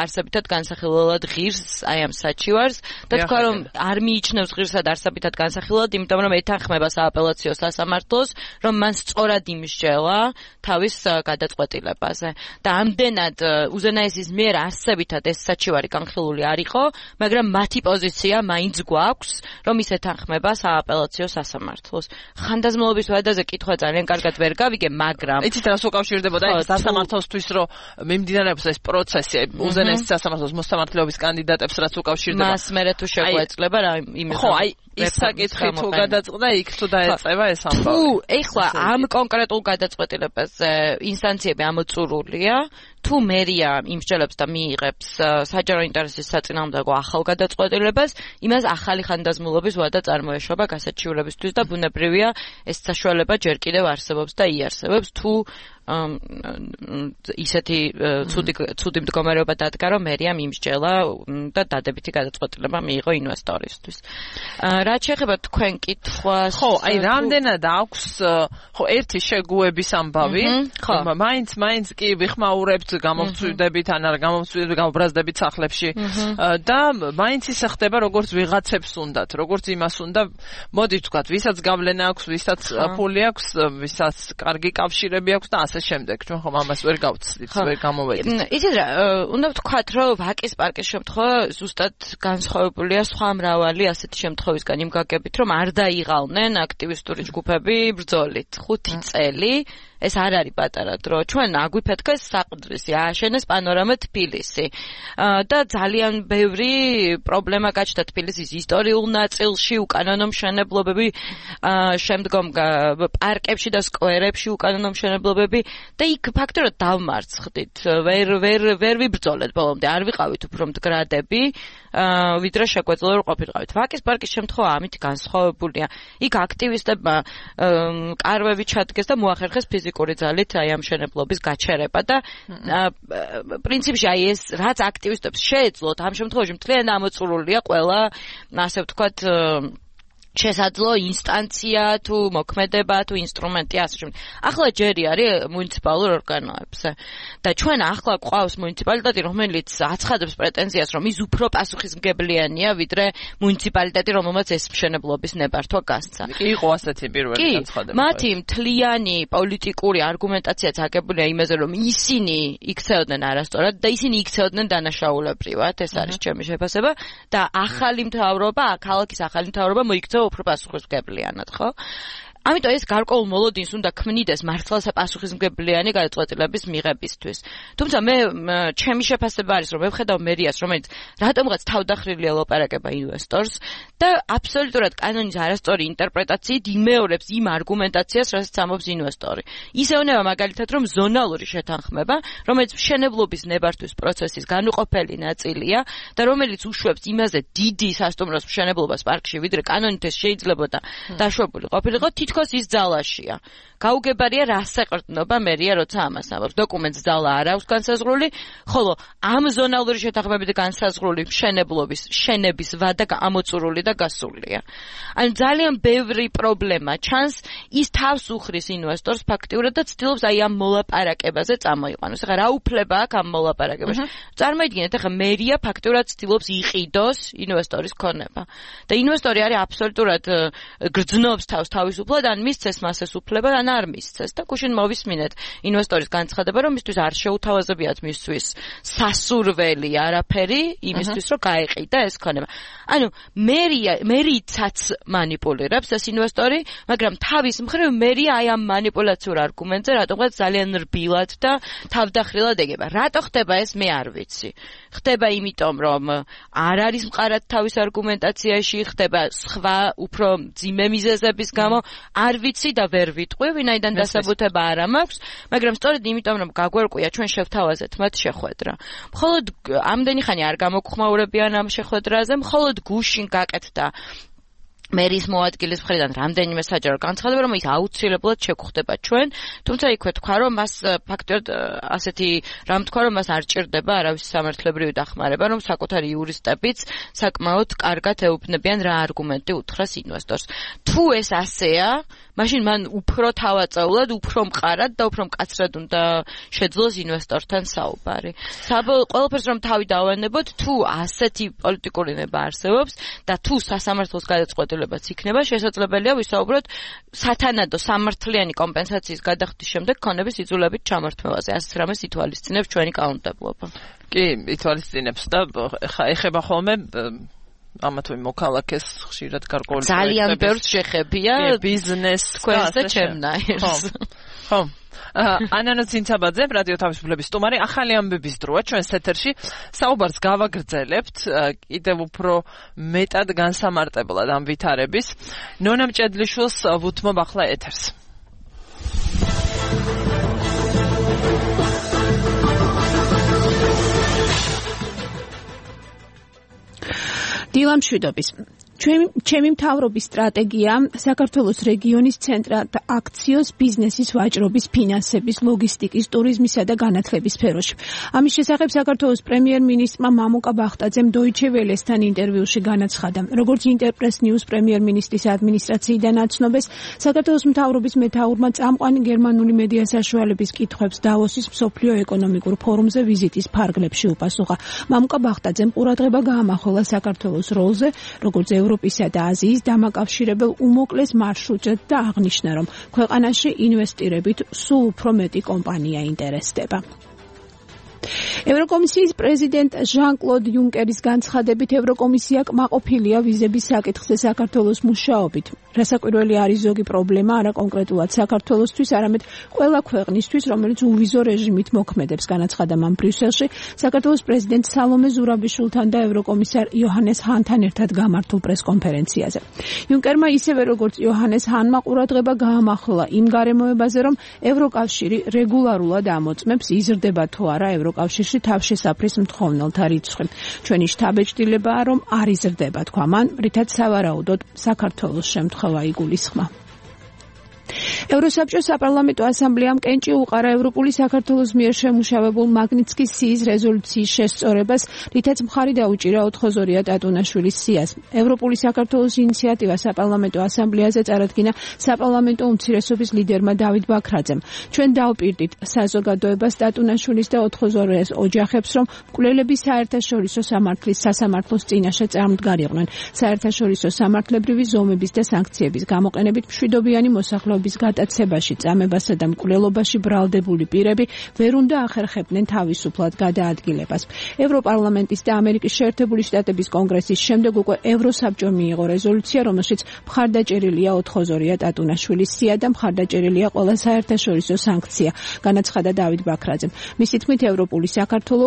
არსებითად განსახილველად ღირს აი ამ საჩივარს და თქვა რომ არ მიიჩნევს ღირსად არსებითად განსახილველად, იმიტომ რომ ეთანხმება სააპელაციო სასამართლოს, რომ მან სწორად იმსჯელა თავის გადაწყვეტილებაზე. და ამდენად უზენაესის მიერ არსებითად ეს საჩივარი განხილული არ იყო, მაგრამ მათი პოზიცია მაინც გვაქვს, რომ ის ეთანხმება სააპელაციო სასამართლოს. ხანდაზმულობის ვადაზე კითხვა ძალიან კარგად ვერ გავიგე, მაგრამ იცით რას უკავშირდებოდა ეს სასამართლოსთვის, რომ მიმდინარეობს ეს პროცესი უზენაესის სასამართლოს მოსამართლეობის კანდიდატებს რაც უკავშირდება. მას მერე თუ შეგვეძლება რა იმის. ხო, აი ის საკითხი თუ გადაწყდა, იქ თუ დაეწევა ეს ამბავი. თუ ეხლა ამ კონკრეტულ გადაწყვეტილებაზე ინსტანციები ამოწურულია, თუ მერია იმსჯელებს და მიიღებს საჯარო ინტერესის საწინააღმდეგო ახალ გადაწყვეტილებას, იმას ახალი ხანდაზმულობის ვადა წარმოეშვება გასაჩივრებისთვის და ბუნებრივია ეს საშუალება ჯერ კიდევ არსებობს და იარსებობს, თუ ისეთი ცუდი ცუდი მდგომარეობა დადგა, რომ მერია მიმსჯელა და დადებითი გადაწყვეტილება მიიღო ინვესტორისთვის. რაც შეეხება თქვენ კითხვას, ხო, აი რამდენად აქვს, ხო, ერთი შეგუების ამბავი, ხო, მაინც მაინც კი ვიხმაურებთ გამოვწვიდებით ან არ გამოვწვიდებით, გამობრაზდებით სახლებში და მაინც ისე ხდება, როგორც ვიღაცებს უნდათ, როგორც იმას უნდა, მოდი ვთქვათ, ვისაც გავლენა აქვს, ვისაც ფული აქვს, ვისაც კარგი კავშირები აქვს და ასე შემდეგ. ჩვენ ხომ ამას ვერ გავცდით, ვერ გამოვედით. იცით რა, უნდა ვთქვათ, რომ ვაკის პარკის შემთხვევა ზუსტად განსხვავებულია სხვა მრავალი ასეთი შემთხვევისგან იმ გაგებით, რომ არ დაიღალნენ აქტივისტური ჯგუფები ბრძოლით ხუთი წელი. ეს არ არის პატარა დრო. ჩვენ აგვიფეთქეს საყდრისი, ააშენეს პანორამა თბილისი. და ძალიან ბევრი პრობლემა გაჩნდა თბილისის ისტორიულ ნაწილში, უკანონო მშენებლობები, შემდგომ პარკებში და სკვერებში უკანონო მშენებლობები და იქ ფაქტობრივად დავმარცხდით. ვერ ვერ ვერ ვიბრძოლეთ ბოლომდე, არ ვიყავით უფრო მდგრადები, ვიდრე შეგვეძლო რომ ყოფილიყავით. ვაკის პარკის შემთხვევა ამით განსხვავებულია. იქ აქტივისტებმა კარვები ჩადგეს და მოახერხეს ფიზიკური ძალით აი ამ მშენებლობის გაჩერება და პრინციპში აი ეს რაც აქტივისტებს შეეძლოთ ამ შემთხვევაში მთლიან ამოწურულია ყველა ასე ვთქვათ შესაძლო ინსტანცია თუ მოქმედება თუ ინსტრუმენტი ასე შემდეგ. ახლა ჯერი არის მუნიციპალურ ორგანოებზე და ჩვენ ახლა გვყავს მუნიციპალიტეტი, რომელიც აცხადებს პრეტენზიას, რომ ის უფრო პასუხისმგებლიანია, ვიდრე მუნიციპალიტეტი, რომელმაც ეს მშენებლობის ნებართვა გასცა. იყო ასეთი პირველი განცხადება. მათი მთლიანი პოლიტიკური არგუმენტაციაც აგებულია იმაზე, რომ ისინი იქცეოდნენ არასწორად და ისინი იქცეოდნენ დანაშაულებრივად, ეს არის ჩემი შეფასება და ახალი მთავრობა, ქალაქის ახალი მთავრობა მოიქცევა უფრო პასუხისმგებლიანად, ხო? ამიტომ ეს გარკვეულ მოლოდინს უნდა ქმნიდეს მართლაც პასუხისმგებლიანი გადაწყვეტილების მიღებისთვის. თუმცა მე ჩემი შეფასება არის, რომ მე ვხედავ მერიას, რომელიც რატომღაც თავდახრილი ელოპარაკება ინვესტორს და აბსოლუტურად კანონის არასწორი ინტერპრეტაციით იმეორებს იმ არგუმენტაციას, რასაც ამბობს ინვესტორი. ისეუნება მაგალითად, რომ ზონალური შეთანხმება, რომელიც მშენებლობის ნებართვის პროცესის განუყოფელი ნაწილია და რომელიც უშვებს იმაზე დიდი სასტუმროს მშენებლობას პარკში, ვიდრე კანონით ეს შეიძლებოდა დაშვებული ყოფილიყო, თითქოს ის ძალაშია. გაუგებარია რას ეყრდნობა მერია, როცა ამას ამბობს. დოკუმენტს ძალა არ აქვს განსაზღვრული, ხოლო ამ ზონალური შეთანხმებით განსაზღვრული მშენებლობის, შენების ვადა ამოწურული და გასულია. ანუ ძალიან ბევრი პრობლემა ჩანს, ის თავს უხრის ინვესტორს ფაქტიურად და ცდილობს აი ამ მოლაპარაკებაზე წამოიყვანოს. ეხლა რა უფლება აქვს ამ მოლაპარაკებაში? წარმოიდგინეთ, ეხლა მერია ფაქტიურად ცდილობს იყიდოს ინვესტორის ქონება. და ინვესტორი არის აბსოლუტურად გრძნობს თავს თავისუფლად, ან მისცეს მას ეს უფლება, ან არ მისცეს. და გუშინ მოვისმინეთ ინვესტორის განცხადება, რომ მისთვის არ შეუთავაზებიათ მისთვის სასურველი არაფერი იმისთვის, რომ გაეყიდა ეს ქონება. ანუ მერია მერიცაც манипуლირებს ეს ინვესტორი, მაგრამ თავის მხრივ მერია აი ამ манипуляციურ არგუმენტზე რატომღაც ძალიან რბილად და თავდახრილად ეგება. რატო ხდება ეს მე არ ვიცი. ხდება იმიტომ, რომ არ არის მყარად თავის არგუმენტაციაში, ხდება სხვა უფრო ძიმე მიზეზების გამო, არ ვიცი და ვერ ვიტყვი, ვინაიდან დასაბუთება არ მაქვს, მაგრამ სწორედ იმიტომ, რომ გაგვერკვია ჩვენ შევთავაზეთ მათ შეხვედრა. მხოლოდ ამდენი ხანი არ გამოგხმაურებიან ამ შეხვედრაზე, მხოლოდ გუშინ გაკეთდა მერის მოადგილის მხრიდან რამდენიმე საჯარო განცხადება, რომ ის აუცილებლად შეგხვდება ჩვენ, თუმცა იქვე თქვა, რომ მას ფაქტობრივად ასეთი რამ თქვა, რომ მას არ ჭირდება არავის სამართლებრივი დახმარება, რომ საკუთარი იურისტებიც საკმაოდ კარგად ეუბნებიან რა არგუმენტი უთხრას ინვესტორს. თუ ეს ასეა, მაშინ მან უფრო თავაწეულად, უფრო მყარად და უფრო მკაცრად უნდა შეძლოს ინვესტორთან საუბარი. ყველაფერს რომ თავი დავანებოთ, თუ ასეთი პოლიტიკური ნება არსებობს და თუ სასამართლოს გადაწყვეტილებაც იქნება, შესაძლებელია ვისაუბროთ სათანადო სამართლიანი კომპენსაციის გადახდის შემდეგ ქონების იძულებით ჩამართმევაზე. ასეთ რამეს ითვალისწინებს ჩვენი კანონმდებლობა. კი, ითვალისწინებს და ეხება ხოლმე ამათ ვი მოქალაქეს ხშირად გარკვეული ძალიან ბევრს შეხებია ბიზნეს თქვენს და ჩემნაირს. ხო. ანანა ცინცაბაძე, რადიო თავისუფლების სტუმარი, ახალი ამბების დროა ჩვენს ეთერში. საუბარს გავაგრძელებთ კიდევ უფრო მეტად განსამარტებლად ამ ვითარების. ნონა მჭედლიშვილს ვუთმობ ახლა ეთერს. დილამშვიდობის. ჩემი ჩემი მთავრობის სტრატეგია საქართველოს რეგიონის ცენტრად აქციოს ბიზნესის ვაჭრობის, ფინანსების, ლოგისტიკის, ტურიზმისა და განათლების სფეროში. ამის შესახებ საქართველოს პრემიერ-მინისტრმა მამუკა ბახტაძემ Deutsche Welle-სთან ინტერვიუში განაცხადა, როგორც Interpress News პრემიერ-მინისტრის ადმინისტრაციიდან აცნობეს, საქართველოს მთავრობის მეთაურმა წამყვანი გერმანული მედია საშუალების კითხვებს დავოსის მსოფლიო ეკონომიკურ ფორუმზე ვიზიტის ფარგლებში უპასუხა. მამუკა ბახტაძემ ყურადღება გაამახვილა საქართველოს როლზე, როგორც ევროპისა და აზიის დამაკავშირებელ უმოკლეს მარშრუტზე და აღნიშნა, რომ ქვეყანაში ინვესტირებით სულ უფრო მეტი კომპანია ინტერესდება. ევროკომისიის პრეზიდენტ ჟან-კლოდ იუნკერის განცხადებით, ევროკომისია კმაყოფილია ვიზების საკითხზე საქართველოს მუშაობით. რასაკვირველი არის ზოგი პრობლემა, არა კონკრეტულად საქართველოსთვის, არამედ ყველა ქვეყნისთვის, რომელიც უვიზო რეჟიმით მოქმედებს, განაცხადა მან ბრიუსელში, საქართველოს პრეზიდენტ სალომე ზურაბიშვილთან და ევროკომისარ იოჰანეს ჰანთან ერთად გამართულ პრესკონფერენციაზე. იუნკერმა ისევე როგორც იოჰანეს ჰანმა ყურადღება გაამახვილა იმ გარემოებაზე, რომ ევროკავშირი რეგულარულად ამოწმებს, იზრდება თუ არა ევროკავშირში თავშესაფრის მთხოვნელთა რიცხვი. ჩვენი შთაბეჭდილებაა, რომ არ იზრდება, თქვა მან, რითაც სავარაუდოდ საქართველოს შემთხვევა იგულისხმა. ევროსაბჭოს საპარლამენტო ასამბლეამ კენჭი უყარა ევროპული საქართველოს მიერ შემუშავებულ მაგნიცკის სიის რეზოლუციის შესწორებას, რითაც მხარი დაუჭირა ოთხოზორია ტატუნაშვილის სიას. ევროპული საქართველოს ინიციატივა საპარლამენტო ასამბლეაზე წარადგინა საპარლამენტო უმცირესობის ლიდერმა დავით ბაქრაძემ. ჩვენ დავპირდით საზოგადოებას ტატუნაშვილის და ოთხოზორიას ოჯახებს, რომ მკვლელები საერთაშორისო სამართლის სასამართლოს წინაშე წარმდგარიყვნენ. საერთაშორისო სამართლებრივი ზომების და სანქციების გამოყენებით მშვიდობიანი მოსახლეობის გადაცებაში, წამებასა და მკვლელობაში ბრალდებული პირები ვერ უნდა ახერხებდნენ თავისუფლად გადაადგილებას. ევროპარლამენტის და ამერიკის შეერთებული შტატების კონგრესის შემდეგ უკვე ევროსაბჭომ მიიღო რეზოლუცია, რომელშიც მხარდაჭერილია ოთხოზორია ტატუნაშვილის სია და მხარდაჭერილია ყველა საერთაშორისო სანქცია, განაცხადა დავით ბაქრაძემ. მისი თქმით, ევროპული საქართველო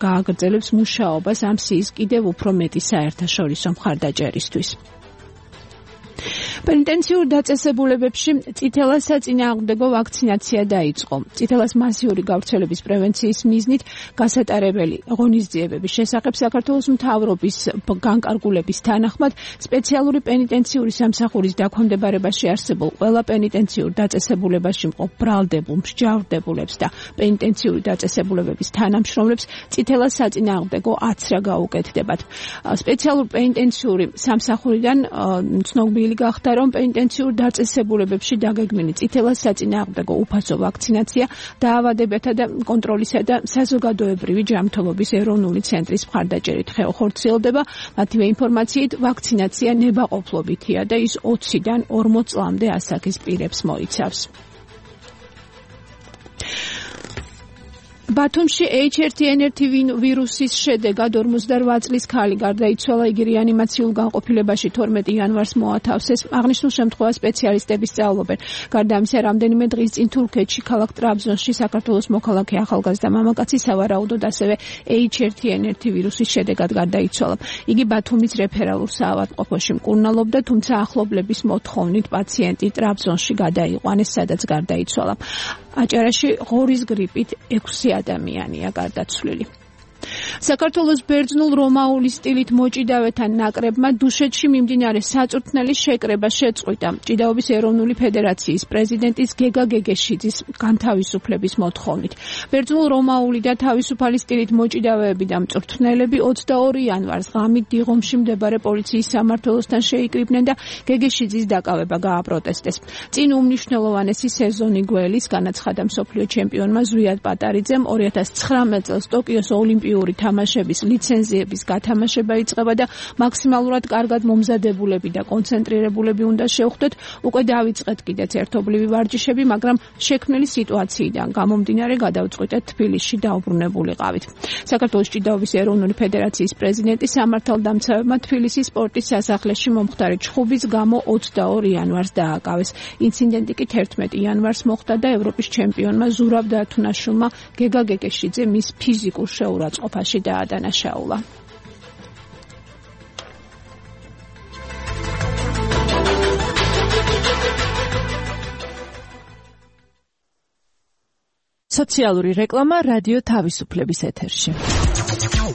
გააგრძელებს მუშაობას ამ სიის კიდევ უფრო მეტი საერთაშორისო მხარდაჭერისთვის. პენიტენციურ დაწესებულებებში წითელას საწინააღმდეგო ვაქცინაცია დაიწყო. წითელას მასიური გავრცელების პრევენციის მიზნით გასატარებელი ღონისძიებების შესახებ საქართველოს მთავრობის განკარგულების თანახმად სპეციალური პენიტენციური სამსახურის დაქვემდებარებაში არსებულ ყველა პენიტენციურ დაწესებულებაში მყოფ ბრალდებულ მსჯავრდებულებს და პენიტენციური დაწესებულებების თანამშრომლებს წითელას საწინააღმდეგო აცრა გაუკეთდებათ. სპეციალურ პენიტენციური სამსახურიდან ცნობილი გახდა, რომ პენიტენციურ დაწესებულებებში დაგეგმილი წითელას საწინააღმდეგო უფასო ვაქცინაცია დაავადებათა და კონტროლისა და საზოგადოებრივი ჯანმრთელობის ეროვნული ცენტრის მხარდაჭერით ხორციელდება. მათივე ინფორმაციით, ვაქცინაცია ნებაყოფლობითია და ის ოციდან ორმოც წლამდე ასაკის პირებს მოიცავს. ბათუმში ეიჩ ერთი ენ ერთი ვირუსის შედეგად ორმოცდაოთხ წლის ქალი გარდაიცვალა. იგი რეანიმაციულ განყოფილებაში თორმეტი იანვარს მოათავსეს. აღნიშნულ შემთხვევას სპეციალისტები სწავლობენ. გარდა ამისა, რამდენიმე დღის წინ თურქეთში, ქალაქ ტრაბზონში საქართველოს მოქალაქე ახალგაზრდა მამაკაცი სავარაუდოდ ასევე ეიჩ ერთი ენ ერთი ვირუსის შედეგად გარდაიცვალა. იგი ბათუმის რეფერალურ საავადმყოფოში მკურნალობდა, თუმცა ახლობლების მოთხოვნით პაციენტი ტრაბზონში გადაიყვანეს, სადაც გარდაიცვალა. აჭარაში ღორის გრიპით ექვსი ადამიანია გარდაცვლილი. საქართველოს ბერძნულ რომაული სტილით მოჭიდავეთა ნაკრებმა დუშეთში მიმდინარე საწვრთნელის შეკრება შეწყვიტა. ჭიდაობის ეროვნული ფედერაციის პრეზიდენტის გეგა გეგეშიძის განთავისუფლების მოთხოვნით. ბერძნულ რომაული და თავისუფალი სტილით მოჭიდავეები და მწვრთნელები ოცდაორი იანვარს ღამით დიღომში მდებარე პოლიციის სამმართველოსთან შეიკრიბნენ და გეგეშიძის დაკავება გააპროტესტეს. წინ უმნიშვნელოვანესი სეზონი გველის განაცხადა მსოფლიო ჩემპიონმა ზვიად პატარიძემ ორი ათას ცხრამეტ წელს ტოკიოს ოლიმპიური თამაშების ლიცენზიების გათამაშება იწყება და მაქსიმალურად კარგად მომზადებულები და კონცენტრირებულები უნდა შევხვდეთ. უკვე დავიწყეთ კიდეც ერთობლივი ვარჯიშები, მაგრამ შექმნილი სიტუაციიდან გამომდინარე გადავწყვიტეთ თბილისში დაუბრუნებულიყავით. საქართველოს ჭიდაობის ეროვნული ფედერაციის პრეზიდენტი სამართალდამცავებმა თბილისის სპორტის სასახლეში მომხდარი ჩხუბის გამო ოცდაორ იანვარს დააკავეს. ინციდენტი კი თერთმეტ იანვარს მოხდა და ევროპის ჩემპიონმა ზურაბ დათუნაშვილმა გეგა გეგეშიძე მის ფიზიკურ შეურაცხყოფაში დაადანაშაულა. სოციალური რეკლამა რადიო თავისუფლების ეთერში.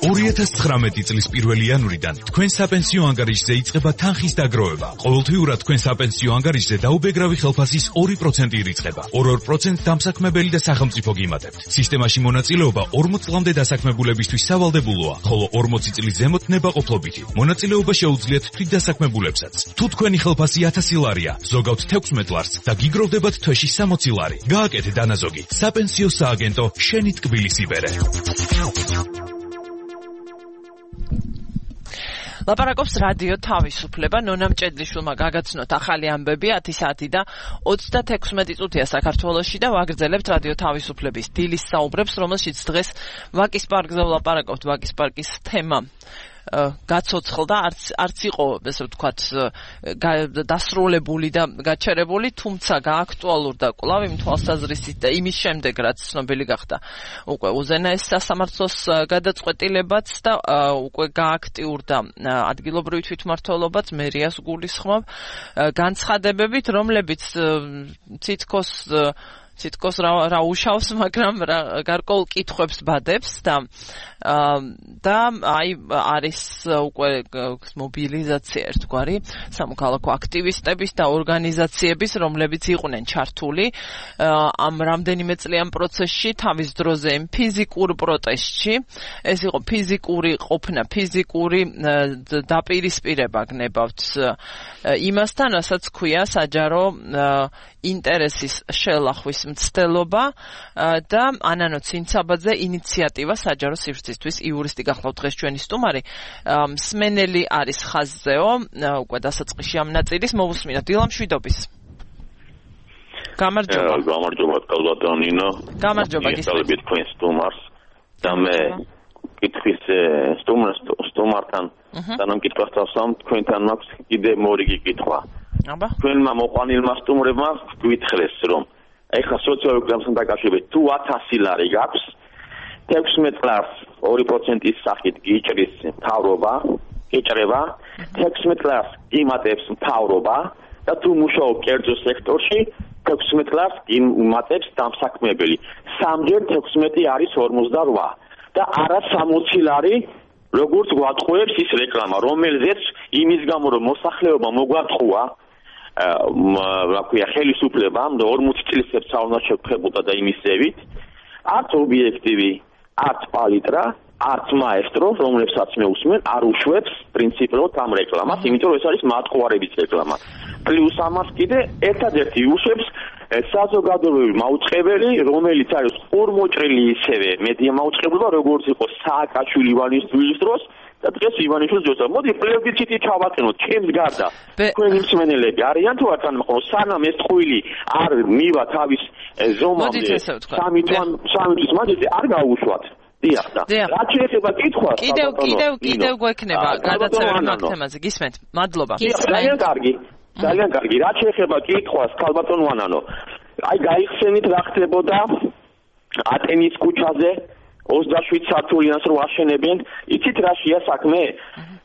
ორი ათას ცხრამეტი წლის პირველი იანვრიდან თქვენ საპენსიო ანგარიშზე იწყება თანხის დაგროვება. ყოველთვიურად თქვენ საპენსიო ანგარიშზე დაუბეგრავი ხელფასის ორი პროცენტი ირიცხება. ორ-ორ პროცენტს დამსაქმებელი და სახელმწიფო გიმატებთ. სისტემაში მონაწილეობა ორმოც წლამდე დასაქმებულებისთვის სავალდებულოა, ხოლო ორმოცი წლის ზემოთ ნებაყოფლობითი. მონაწილეობა შეუძლიათ თვითდასაქმებულებსაც. თუ თქვენი ხელფასი ათასი ლარია, ზოგავთ თექვსმეტ ლარს და გიგროვდებათ თვეში სამოცი ლარი. გააკეთეთ დანაზოგი. საპენსიო სააგენტო შენი ტკბილის იბერე. ლაპარაკობს რადიო თავისუფლება. ნონა მჭედლიშვილმა გაგაცნოთ ახალი ამბები ათი საათი და ოცდათექვსმეტი წუთია საქართველოში და ვაგრძელებთ რადიო თავისუფლების დილის საუბრებს, რომელშიც დღეს ვაკის პარკზე ვლაპარაკობთ. ვაკის პარკის თემა გაცოცხლდა, არც არც იყო, ესე ვთქვათ, დასრულებული და გაჩერებული, თუმცა გააქტუალურდა კვლავ იმ თვალსაზრისით და იმის შემდეგ, რაც ცნობილი გახდა უკვე უზენაეს სასამართლოს გადაწყვეტილებაც და უკვე გააქტიურდა ადგილობრივი თვითმმართველობაც, მერიას გულისხმობ განცხადებებით, რომლებიც თითქოს თითქოს რა უშავს, მაგრამ გარკვეულ კითხვებს ბადებს და და აი არის უკვე მობილიზაცია ერთგვარი სამოქალაქო აქტივისტების და ორგანიზაციების, რომლებიც იყვნენ ჩართული ამ რამდენიმე წლიან პროცესში, თავის დროზე იმ ფიზიკურ პროტესტში. ეს იყო ფიზიკური ყოფნა, ფიზიკური დაპირისპირება გნებავთ იმასთან, რასაც ქვია საჯარო ინტერესის შელახვის მცდელობა და ანანო ცინცაბაძე ინიციატივა საჯარო სივრცისთვის. იურისტი გახლავთ დღეს ჩვენი სტუმარი. მსმენელი არის ხაზზეო, უკვე დასაწყისში ამ ნაწილის მოვუსმინოთ. დილა მშვიდობის. გამარჯობა. გამარჯობა კალბატონინო. გამარჯობა გისმენთ თქვენ სტუმარს და მე კითხვის სტუმარს სტუმართან თანამკითხვას დავსვამ, თქვენთან მაქვს კიდე მორიგი კითხვა. აბა. თქვენმა მოყვანილმა სტუმრებმა გვითხრეს, რომ ეხლა სოციალური გზამთან დაკავშირებით თუ ათასი ლარი გაქვს, თექვსმეტ ლარს ორი პროცენტის სახით გიჭრის მთავრობა, გეჭრება თექვსმეტ წელს იმატებს მთავრობა და თუ მუშაობ კერძო სექტორში თექვსმეტ წელს იმატებს დამსაქმებელი. სამჯერ თექვსმეტი არის ორმოცდაოთხ და არა სამოცი ლარი როგორც გვატყუებს ის რეკლამა, რომელზეც იმის გამო რომ მოსახლეობა მოგვატყუა რა ქვია ხელისუფლებამ და ორმოცი წლის საუნდა შეფხებოდა და იმის ზევით არც ობიექტივი, არც პალიტრა, არც მაესტრო, რომლებსაც მე უსმენ, არ უშვებს პრინციპულად ამ რეკლამას, იმიტომ რომ ეს არის მატყუარების რეკლამა. პლუს ამას კიდე ერთადერთი უშვებს საზოგადოებრივი მაუწყებელი, რომელიც არის ორმოჭრილი ისევე მედია მაუწყებლობა, როგორც იყო სააკაშვილი ივანიშვილის დროს და დღეს ივანიშვილის დროს. მოდი პლებიციტი ჩავაყენოთ, ჩემს გარდა. თქვენი მსმენელები არიან თუ არა, მაგრამ სანამ ეს ტყუილი არ მივა თავის ზომამდე, სამი თვის მანძილზე არ გაუშვათ. დიახ და რაც შეეხება კითხვას, კიდევ კიდევ კიდევ გვექნება გადაცემა ამ თემაზე. გისმენთ? მადლობა. ძალიან კარგი. ძალიან კარგი. რაც შეეხება კითხვას, ქალბატონო ანანო, აი გაიხსენით რა ხდებოდა ატენის ქუჩაზე ოცდაშვიდ სართულიანს რო აშენებენ, იცით რა შეა საქმე?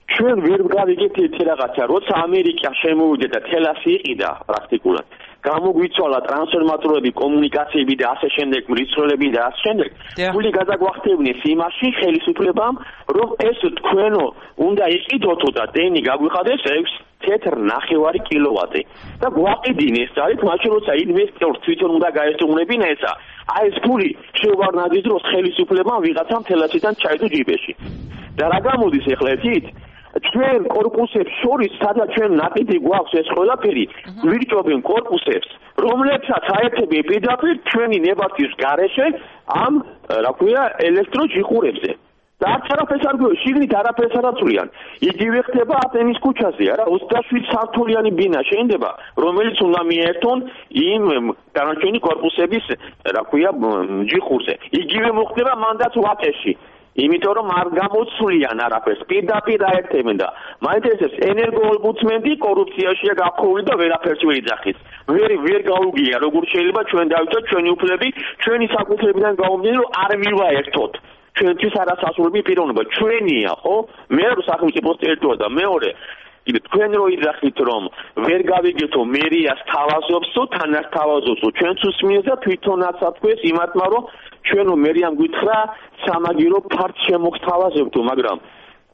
ჩვენ ვერ გავიგეთ ერთი რაღაცა, როცა ამერიკა შემოვიდა და თელასი იყიდა პრაქტიკულად. გამოგვიცვალა ტრანსფორმატორები, კომუნიკაციები და ასე შემდეგ, მრიცხველები და ასე შემდეგ. გული გადაგვახტევნეს იმაში ხელისუფლებამ, რომ ეს თქვენო უნდა იყიდოთო და დენი გაგვიხადეს ექვს თეთრ ნახევარი კილოვატი. და გვაყიდინეს ძალით, მაშინ როცა ინვესტორს თვითონ უნდა გაესტუმრებინა ესა. აი ეს ფული შევარნაძის დროს ხელისუფლებამ ვიღაცამ თელასიდან ჩაიდო ჯიბეში. და რა გამოდის ახლა ერთით? ჩვენ კორპუსებს შორის, სადაც ჩვენ ნაკიდი გვაქვს ეს ყველაფერი, ვირჭობენ კორპუსებს, რომლებსაც აერთებენ პირდაპირ ჩვენი ნებართვის გარეშე ამ, რა ქვია, ელექტროჯიხურებზე. და არც არაფერს არ გვიოს, შიგნით არაფერს არ აწვიან. იგივე ხდება ატენის ქუჩაზე, არა, ოცდაშვიდ სართულიანი ბინა შეიძლება, რომელიც უნდა მიერთონ იმ დანარჩენი კორპუსების, რა ქვია, ჯიხურზე. იგივე მოხდება მანდაც ვაკეში. იმიტომ რომ არ გამოცვლიან არაფერს, პირდაპირ აერთებენ და მაინტერესებს ენერგოომბუდსმენი კორუფციაშია გაფხული და ვერაფერს ვერ იძახის. ვერ ვერ გაუგია, როგორ შეიძლება ჩვენ დავიცოთ ჩვენი უფლები, ჩვენი საკუთრებიდან გამომდინარე, რომ არ მივაერთოთ. ჩვენთვის არასასურველი პიროვნება ჩვენია, ხო? მე რო სახელმწიფოს ტერიტორია და მეორე კიდე თქვენ რო იძახით რომ ვერ გავიგეთო მერიას თავაზობსო, თანაც თავაზობსო, ჩვენც უსმენთ და თვითონაც ათქვეს იმათმა რომ ჩვენო მერიამ გითხრა სამაგირო ფარც შემოგთავაზებთო, მაგრამ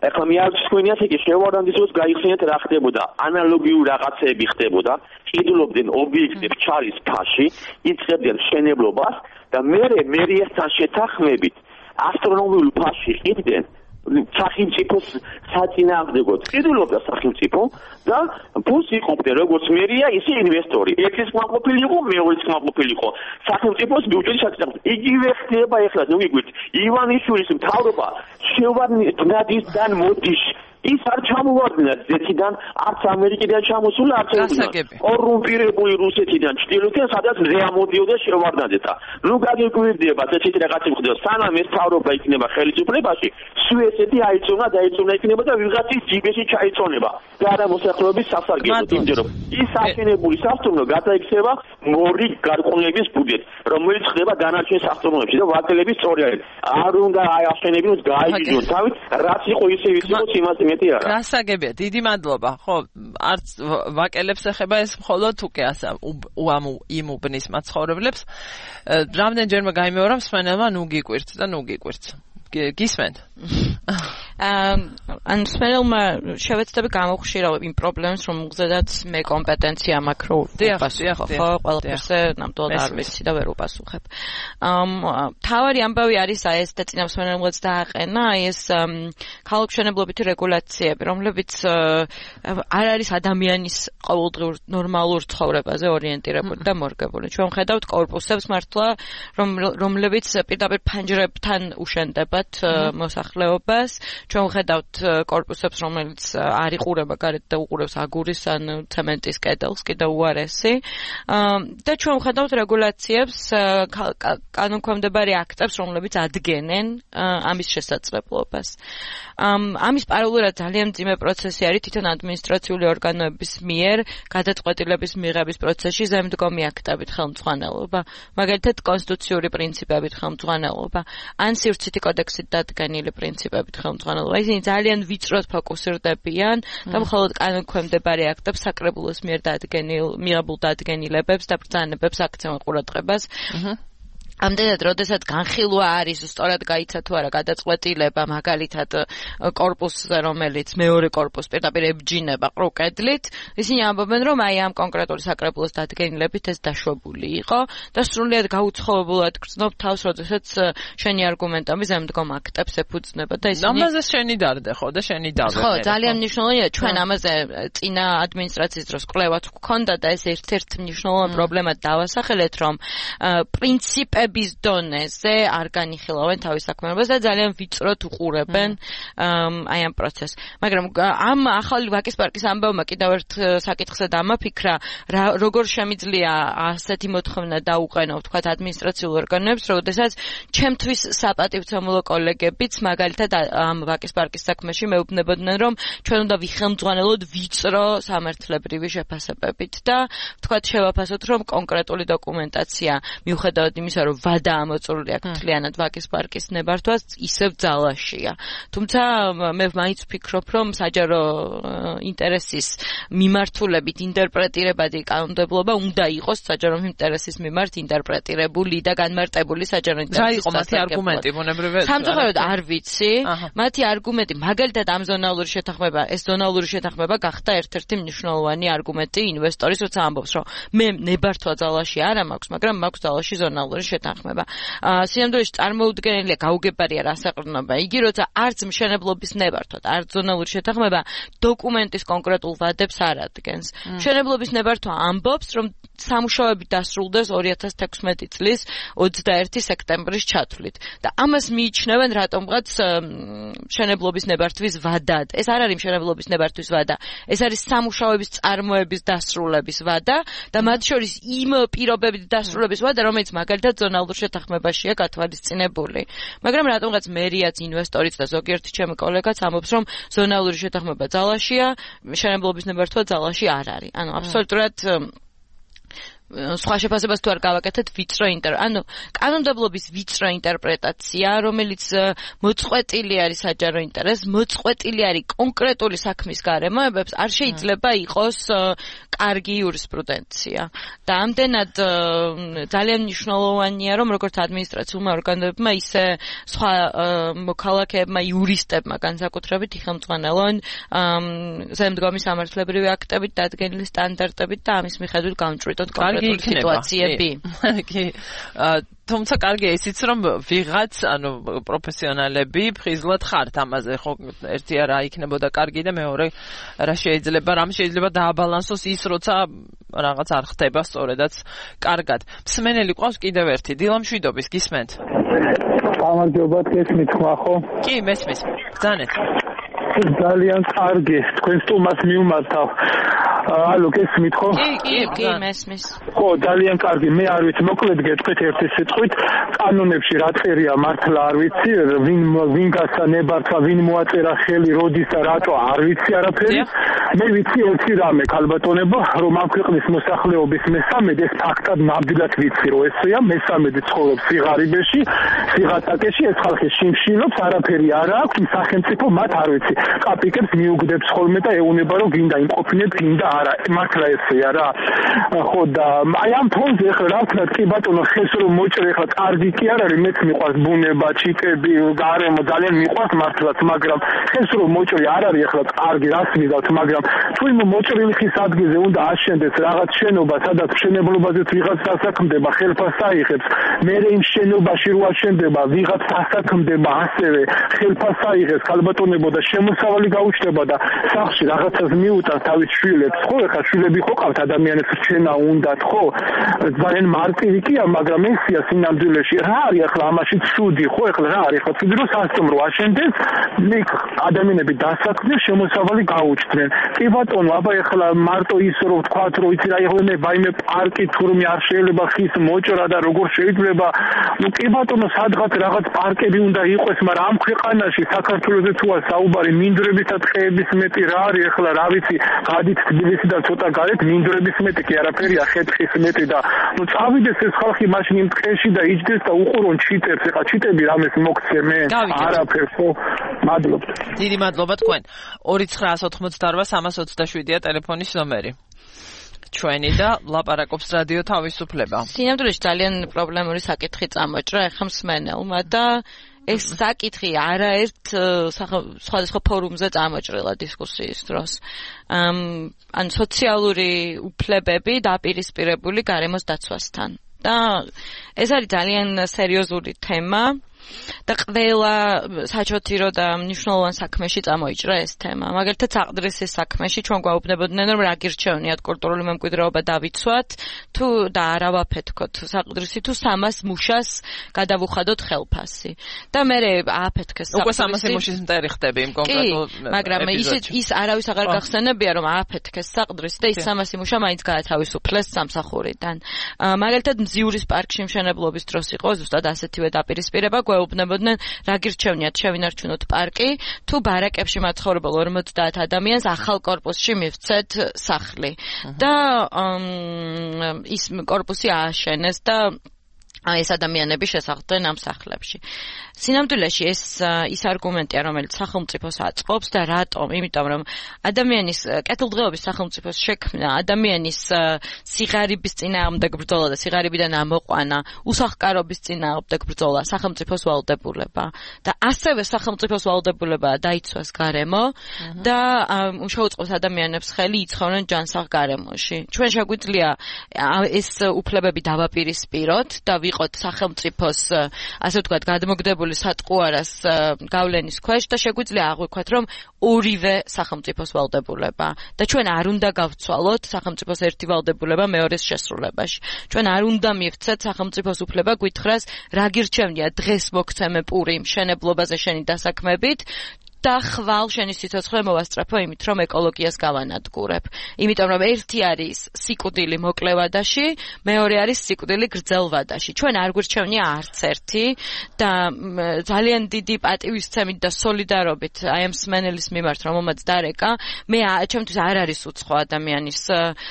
ეხლა მე არც თქვენი ასე კი შევარდანდის დროს გაიხსენეთ რა ხდებოდა, ანალოგიური რაღაცეები ხდებოდა, ყიდულობდნენ ობიექტებს ჩარის ფაში, იწყებდნენ მშენებლობას და მე მერიასთან შეთანხმებით ასტრონომიულ ფაში ყიდნენ სახელმწიფოს საწინააღმდეგოდ ყიდულობდა სახელმწიფო და ფულს იყოფდა როგორც მერია, ისე ინვესტორი. ერთის კმაყოფილი იყო, მეორეს კმაყოფილი იყო. სახელმწიფოს ბიუჯეტის საწინააღმდეგოდ. იგივე ხდება ახლა, ნუ გიგვით, ივანიშვილის მთავრობა შევარდნადისთან მოდის. ის არ ჩამოვარდნა ზეთიდან, არც ამერიკიდან ჩამოსულა, არც ევროპიდან. კორუმპირებული რუსეთიდან ჩრდილოეთიდან, სადაც ზე ამოდიოდა შევარდნაძეთა. ნუ გაგიკვირდება, ესეთი რაღაცა ხდება. სანამ ეს მთავრობა იქნება ხელისუფლებაში, სუესეთი აიწონა და აიწონა იქნება და ვიღაცის ჯიბეში ჩაიწონება. და არა მოსახლეობის სასარგებლოდ, იმიტომ რომ ის აშენებული სასტუმრო გადაიქცევა მორი გარყვნილების ბუდეთ, რომელიც ხდება დანარჩენ სასტუმროებში და ვაკელების სწორი არის. არ უნდა აშენებინოს გაიგიჟონ თავით, რაც იყო ისე ისე იმას გასაგებია, დიდი მადლობა. ხო, არც ვაკელებს ეხება ეს მხოლოდ უკვე ასა უამუ იმუბნის მაცხოვრებლებს. რამდენჯერმე გაიმეორა მსმენელმა ნუ გიკვირთ და ნუ გიკვირთ. გისმენთ? ან მსმენელმა შევეცდები გამოხშირავ იმ პრობლემებს, რომელზედაც მე კომპეტენცია მაქვს, რომ ვფასუხო, ხო, ყველაფერზე ნამდვილად არ ვიცი და ვერ უპასუხებ. მთავარი ამბავი არის აი ეს და წინა მსმენელმაც დააყენა, აი ეს ქალაქმშენებლობითი რეგულაციები, რომლებიც არ არის ადამიანის ყოველდღიურ ნორმალურ ცხოვრებაზე ორიენტირებული და მორგებული. ჩვენ ვხედავთ კორპუსებს მართლა, რომლებიც პირდაპირ ფანჯრებთან უშენდებათ მოსახლეობას. ჩვენ ვხედავთ კორპუსებს, რომელიც არ იყურება გარეთ და უყურებს აგურის ან ცემენტის კედელს, კიდევ უარესი. და ჩვენ ვხედავთ რეგულაციებს, კანონქვემდებარე აქტებს, რომლებიც ადგენენ ამის შესაძლებლობას. ამის პარალელურად ძალიან მძიმე პროცესი არის თვითონ ადმინისტრაციული ორგანოების მიერ გადაწყვეტილების მიღების პროცესში ზემდგომი აქტებით ხელმძღვანელობა, მაგალითად კონსტიტუციური პრინციპებით ხელმძღვანელობა, ან სივრცითი კოდექსით დადგენილი პრინციპებით ხელმძღვანელობა. ხელმძღვანელობა. ისინი ძალიან ვიწროდ ფოკუსირდებიან და მხოლოდ კანონქვემდებარე აქტებს საკრებულოს მიერ დადგენილ მიღებულ დადგენილებებს და ბრძანებებს აქცევენ ყურადღებას. ამდენად, როდესაც განხილვა არის, სწორად გაიცა თუ არა გადაწყვეტილება, მაგალითად კორპუსზე, რომელიც მეორე კორპუსს პირდაპირ ებჯინება ყრუკედლით, ისინი ამბობენ, რომ აი ამ კონკრეტული საკრებულოს დადგენილებით ეს დაშვებული იყო და სრულიად გაუცხოვებულად გრძნობ თავს, როდესაც შენი არგუმენტები ზემდგომ აქტებს ეფუძნება და ისინი ამაზე შენი დარდე ხო და შენი დარდე. ხო, ძალიან მნიშვნელოვანია, ჩვენ ამაზე წინა ადმინისტრაციის დროს კვლევაც გვქონდა და ეს ერთ-ერთ მნიშვნელოვანი პრობლემად დავასახელეთ, რომ პრინციპიების დონეზე არ განიხილავენ თავის საქმიანობას და ძალიან ვიწროდ უყურებენ აი ამ პროცესს. მაგრამ ამ ახალი ვაკის პარკის ამბავმა კიდევ ერთ საკითხზე დამაფიქრა, როგორ შემიძლია ასეთი მოთხოვნა დაუყენო, ვთქვათ, ადმინისტრაციულ ორგანოებს, როდესაც ჩემთვის საპატივცემულო კოლეგებიც მაგალითად ამ ვაკის პარკის საქმეში მეუბნებოდნენ, რომ ჩვენ უნდა ვიხელმძღვანელოთ ვიწრო სამართლებრივი შეფასებებით და ვთქვათ, შევაფასოთ, რომ კონკრეტული დოკუმენტაცია მიუხედავად იმისა, რომ ვადა ამოწურული აქვს მთლიანად ვაკის პარკის ნებართვას, ისევ ძალაშია. თუმცა მე მაინც ვფიქრობ, რომ საჯარო ინტერესის მიმართულებით ინტერპრეტირებადი კანონმდებლობა უნდა იყოს საჯარო ინტერესის მიმართ ინტერპრეტირებული და განმარტებული საჯარო ინტერესის. რა იყო მათი არგუმენტი, მონებრივე? სამწუხაროდ არ ვიცი. მათი არგუმენტი, მაგალითად ამ ზონალური შეთანხმება, ეს ზონალური შეთანხმება გახდა ერთ-ერთი მნიშვნელოვანი არგუმენტი ინვესტორის, როცა ამბობს, რომ მე ნებართვა ძალაში არა მაქვს, მაგრამ მაქვს ძალაში ზონალური შეთანხმება. სინამდვილეში წარმოუდგენელია გაუგებარია რასაყრდნობა. იგი როცა არც მშენებლობის ნებართვა, არც ზონალური შეთანხმება დოკუმენტის კონკრეტულ ვადებს არ ადგენს. მშენებლობის ნებართვა ამბობს, რომ სამუშაოები დასრულდეს ორი ათას თექვსმეტი წლის ოცდაერთი სექტემბრის ჩათვლით. და ამას მიიჩნევენ რატომღაც მშენებლობის ნებართვის ვადად. ეს არ არის მშენებლობის ნებართვის ვადა. ეს არის სამუშაოების წარმოების დასრულების ვადა და მათ შორის იმ პირობებით დასრულების ვადა, რომელიც მაგალითად ზონალურ შეთანხმებაშია გათვალისწინებული. მაგრამ რატომღაც მერიაც, ინვესტორიც და ზოგიერთი ჩემი კოლეგაც ამბობს, რომ ზონალური შეთანხმება ძალაშია, მშენებლობის ნებართვა ძალაში არ არის. ანუ აბსოლუტურად სხვა შეფასებას თუ არ გავაკეთეთ ვიწრო ინტერ ანუ კანონმდებლობის ვიწრო ინტერპრეტაცია, რომელიც მოწყვეტილი არის საჯარო ინტერესს, მოწყვეტილი არის კონკრეტული საქმის გარემოებებს, არ შეიძლება იყოს კარგი იურისპრუდენცია. და ამდენად ძალიან მნიშვნელოვანია, რომ როგორც ადმინისტრაციულმა ორგანოებმა, ისე სხვა მოქალაქეებმა, იურისტებმა განსაკუთრებით იხელმძღვანელონ ზემდგომი სამართლებრივი აქტებით, დადგენილი სტანდარტებით და ამის მიხედვით გამჭვირთოთ კონკრეტული სიტუაციები. კი. თუმცა კარგია ისიც, რომ ვიღაც, ანუ პროფესიონალები ფხიზლად ხართ ამაზე, ხო, ერთი რა იქნებოდა კარგი და მეორე რა შეიძლება, რამ შეიძლება დააბალანსოს ის, როცა რაღაც არ ხდება სწორედაც კარგად. მსმენელი ყავს კიდევ ერთი, დილამშვიდობის, გისმენთ? გამარჯობა, გესმით ხმა ხო? კი, მესმის. ბრძანეთ. ძალიან კარგი, თქვენ სტუმარს მიუმართავ. ალო, გესმით ხო? კი, კი, კი, მესმის. ხო, ძალიან კარგი. მე არ ვიცი, მოკლედ გეტყვით ერთი სიტყვით, კანონებში რა წერია მართლა არ ვიცი, ვინ ვინ გასანებართვა, ვინ მოაწერა ხელი, როდის და რატო არ ვიცი არაფერი. მე ვიცი ერთი რამე, ქალბატონებო, რომ ამ ქვეყნის მოსახლეობის მესამედი ეს ფაქტად ნამდვილად ვიცი, რომ ესეა, მესამედი ცხოვრობს სიღარიბეში, სიღატაკეში, ეს ხალხი შიმშილობს, არაფერი არ აქვს, სახელმწიფო მათ არ ვიცი. კაპიკებს მიუგდებს ხოლმე და ეუნება, რომ გინდა იმყოფინეთ, გინდა არა, მართლა ესეა რა. ხო და აი ამ ფონზე ახლა რა ვქნათ, კი ბატონო, ხეს რომ მოჭრე ახლა კარგი კი არ არის, მეც მიყვარს ბუნება, ჩიტები, გარემო ძალიან მიყვარს მართლაც, მაგრამ ხეს რომ მოჭრე არ არის ახლა კარგი, რას მიგავთ, მაგრამ თუ იმ მოჭრილი ხის ადგილზე უნდა აშენდეს რაღაც შენობა, სადაც მშენებლობაზეც ვიღაც დასაქმდება, ხელფას აიღებს, მე იმ შენობაში რო აშენდება, ვიღაც დასაქმდება ასევე, ხელფას აიღებს, ქალბატონებო და შემოსავალი გაუჩნდება და სახლში რაღაცას მიუტანს თავის შვილებს, ხო, ეხლა შვილები ხო ყავთ ადამიანებს, რჩენა უნდათ, ხო? ძალიან მარტივი კია, მაგრამ ესია სინამდვილეში. რა არის ახლა ამაში ცუდი, ხო? ეხლა რა არის? ახლა ცუდი რომ სასტუმრო აშენდეს, იქ ადამიანები დასაქმდნენ, შემოსავალი გაუჩნდნენ. კი ბატონო, აბა ეხლა მარტო ის რომ ვთქვათ, რომ იცი რა იღებენ, ვაიმე პარკი თურმე არ შეიძლება ხის მოჭრა და როგორ შეიძლება? ნუ კი ბატონო, სად სადღაც რაღაც პარკები უნდა იყოს, მაგრამ ამ ქვეყანაში საქართველოზე თუა საუბარი მინდვრების და ტყეების მეტი რა არის ახლა რა ვიცი, გადით თბილისიდან ცოტა გარეთ მინდვრების მეტი კი არაფერია, ხეთხის მეტი და ნუ წავიდეს ეს ხალხი მაშინ იმ ტყეში და იჯდეს და უყურონ ჩიტებს, ეხლა ჩიტები რამეს მოგცე მე არაფერს ხო მადლობთ. დიდი მადლობა თქვენ. ორი ცხრა ოთხმოცდაოთხ სამას ოცდაშვიდია ტელეფონის ნომერი. ჩვენი და ლაპარაკობს რადიო თავისუფლება. სინამდვილეში ძალიან პრობლემური საკითხი წამოჭრა ეხლა მსმენელმა და ეს საკითხი არაერთ სხვადასხვა ფორუმზე წამოჭრილა დისკუსიის დროს. ან სოციალური უფლებები დაპირისპირებული გარემოს დაცვასთან. და ეს არის ძალიან სერიოზული თემა. და ყველა საჩოთირო და მნიშვნელოვან საქმეში წამოიჭრა ეს თემა. მაგალითად, საყდრისის საქმეში ჩვენ გვაუბნებოდნენ, რომ რა გირჩევნიათ კულტურული მემკვიდრეობა დავიცვათ, თუ და არა ვაფეთქოთ საყდრისი, თუ სამას მუშას გადავუხადოთ ხელფასი. და მე ააფეთქეს საყდრისი. უკვე სამასი მუშის მტერი ხდები იმ კონკრეტულ ეპიზოდში. მაგრამ ის ის არავის აღარ გახსენებია, რომ ააფეთქეს საყდრისი და ის სამასი მუშა მაინც გაათავისუფლეს სამსახურიდან. მაგალითად, მზიურის პარკში მშენებლობის დროს იყო ზუსტად ასეთივე დაპირისპირება. გვეუბნებოდნენ, რა გირჩევნიათ შევინარჩუნოთ პარკი, თუ ბარაკებში მაცხოვრებელ ორმოცდაათ ადამიანს ახალ კორპუსში მივცეთ სახლი. და ის კორპუსი ააშენეს და ეს ადამიანები შესახლდნენ ამ სახლებში. სინამდვილეში ეს ის არგუმენტია, რომელიც სახელმწიფოს აწყობს და რატომ? იმიტომ რომ ადამიანის კეთილდღეობის სახელმწიფოს შექმნა, ადამიანის სიღარიბის წინააღმდეგ ბრძოლა და სიღარიბიდან ამოყვანა, უსახლკარობის წინააღმდეგ ბრძოლა, სახელმწიფოს ვალდებულება და ასევე სახელმწიფოს ვალდებულებაა დაიცვას გარემო და შეუწყოს ადამიანებს ხელი იცხოვნენ ჯანსაღ გარემოში. ჩვენ შეგვიძლია ეს უფლებები დავაპირისპიროთ და ვიყოთ სახელმწიფოს ასე ვთქვათ გადმოგდებული სატყუარას გავლენის ქვეშ და შეგვიძლია აღვიქვათ, რომ ორივე სახელმწიფოს ვალდებულება და ჩვენ არ უნდა გავცვალოთ სახელმწიფოს ერთი ვალდებულება მეორეს შესრულებაში. ჩვენ არ უნდა მივცეთ სახელმწიფოს უფლება გვითხრას, რა გირჩევნია დღეს მოგცემე პური მშენებლობაზე შენი დასაქმებით და ხვალ შენი სიცოცხლე მოვასწრაფო იმით, რომ ეკოლოგიას გავანადგურებ. იმიტომ რომ ერთი არის სიკვდილი მოკლევადაში, მეორე არის სიკვდილი გრძელვადაში. ჩვენ არ გვირჩევნია არც ერთი და ძალიან დიდი პატივისცემით და სოლიდარობით აი ამ მსმენელის მიმართ, რომელმაც დარეკა, მე ჩემთვის არ არის უცხო ადამიანის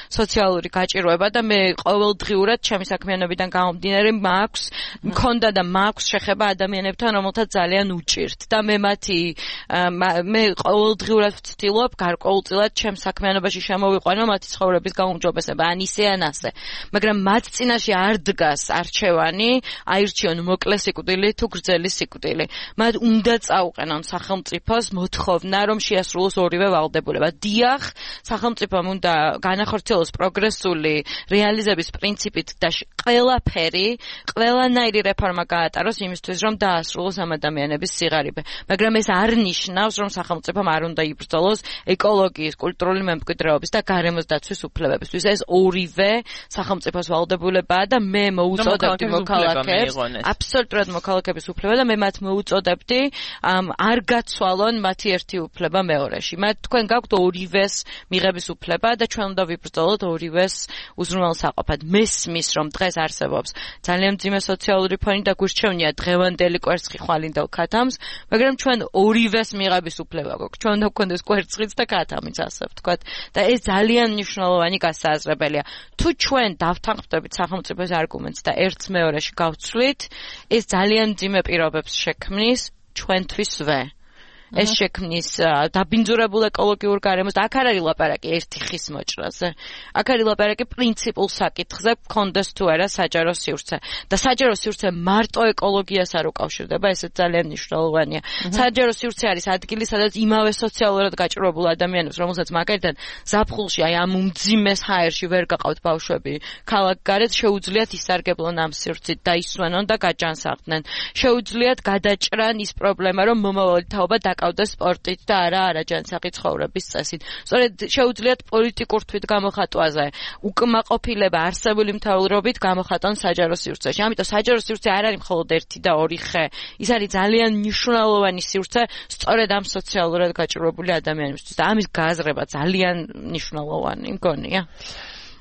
სოციალური გაჭირვება და მე ყოველდღიურად ჩემი საქმიანობიდან გამომდინარე მაქვს, მქონდა და მაქვს შეხება ადამიანებთან, რომელთაც ძალიან უჭირთ და მე მათი მე ყოველდღიურად ვცდილობ გარკვეულწილად ჩემ საქმიანობაში შემოვიყვანო მათი ცხოვრების გაუმჯობესება, ან ისე ან ასე. მაგრამ მათ წინაშე არ დგას არჩევანი, აირჩიონ მოკლე სიკვდილი თუ გრძელი სიკვდილი. მათ უნდა წაუყენონ სახელმწიფოს მოთხოვნა, რომ შეასრულოს ორივე ვალდებულება. დიახ, სახელმწიფომ უნდა განახორციელოს პროგრესული რეალიზების პრინციპით და ყველაფერი, ყველანაირი რეფორმა გაატაროს იმისთვის, რომ დაასრულოს ამ ადამიანების სიღარიბე. მაგრამ ეს არ ნიშნავს რომ სახელმწიფომ არ უნდა იბრძოლოს ეკოლოგიის, კულტურული მემკვიდრეობის და გარემოს დაცვის უფლებებისთვის. ეს ორივე სახელმწიფოს ვალდებულებაა და მე მოუწოდებდი მოქალაქეებს, აბსოლუტურად მოქალაქეების უფლება და მე მათ მოუწოდებდი არ გაცვალონ მათი ერთი უფლება მეორეში. მათ თქვენ გაქვთ ორივეს მიღების უფლება და ჩვენ უნდა ვიბრძოლოთ ორივეს უზრუნველსაყოფად. მესმის რომ დღეს არსებობს ძალიან მძიმე სოციალური ფონი და გვირჩევნია დღევანდელი კვერცხი ხვალინდელ ქათამს, მაგრამ ჩვენ ორივეს მიღების უფლება გვაქვს. ჩვენ უნდა გვქონდეს კვერცხიც და ქათამიც, ასე ვთქვათ. და ეს ძალიან მნიშვნელოვანი გასააზრებელია. თუ ჩვენ დავთანხმდებით სახელმწიფოს არგუმენტს და ერთს მეორეში გავცვლით, ეს ძალიან მძიმე პირობებს შექმნის ჩვენთვისვე. ეს შექმნის დაბინძურებულ ეკოლოგიურ გარემოს და აქ არ არის ლაპარაკი ერთი ხის მოჭრაზე. აქ არის ლაპარაკი პრინციპულ საკითხზე, გქონდეს თუ არა საჯარო სივრცე. და საჯარო სივრცე მარტო ეკოლოგიას არ უკავშირდება, ესეც ძალიან მნიშვნელოვანია. საჯარო სივრცე არის ადგილი, სადაც იმავე სოციალურად გაჭირვებულ ადამიანებს, რომელსაც მაგალითად ზაფხულში აი ამ უმძიმეს ჰაერში ვერ გაყავთ ბავშვები, ქალაქგარეთ შეუძლიათ ისარგებლონ ამ სივრცით და ისვენონ და გაჯანსაღდნენ. შეუძლიათ გადაჭრან ის პრობლემა, რომ მომავალი თაობა დაკავდეს სპორტით და არა არაჯანსაღი ცხოვრების წესით. სწორედ შეუძლიათ პოლიტიკურ თვითგამოხატვაზე უკმაყოფილება არსებული მთავრობით გამოხატონ საჯარო სივრცეში. ამიტომ საჯარო სივრცე არ არის მხოლოდ ერთი და ორი ხე. ის არის ძალიან მნიშვნელოვანი სივრცე სწორედ ამ სოციალურად გაჭირვებული ადამიანებისთვის და ამის გააზრება ძალიან მნიშვნელოვანი მგონია.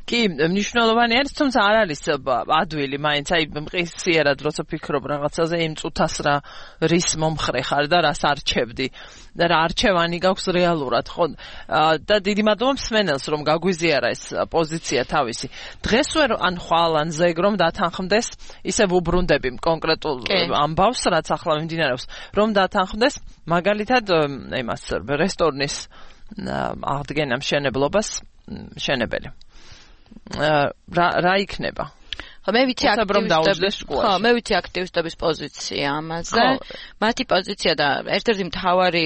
კი, მნიშვნელოვანი არის, თუმცა არ არის ადვილი, მაინც აი მყისიერად როცა ფიქრობ რაღაცაზე, იმ წუთას რა რის მომხრე ხარ და რას არჩევდი და რა არჩევანი გაქვს რეალურად, ხო? და დიდი მადლობა მსმენელს, რომ გაგვიზიარა ეს პოზიცია თავისი. დღეს ვერ ან ხვალ ან ზეგ რომ დათანხმდეს, ისევ უბრუნდები კონკრეტულ ამბავს, რაც ახლა მიმდინარეობს, რომ დათანხმდეს, მაგალითად, იმას რესტორნის აღდგენა მშენებლობას შენებელი. რა რა იქნება? ხო, მე ვიცი აქტივისტების ხო, მე ვიცი აქტივისტების პოზიცია ამაზე. მათი პოზიცია და ერთ-ერთი მთავარი,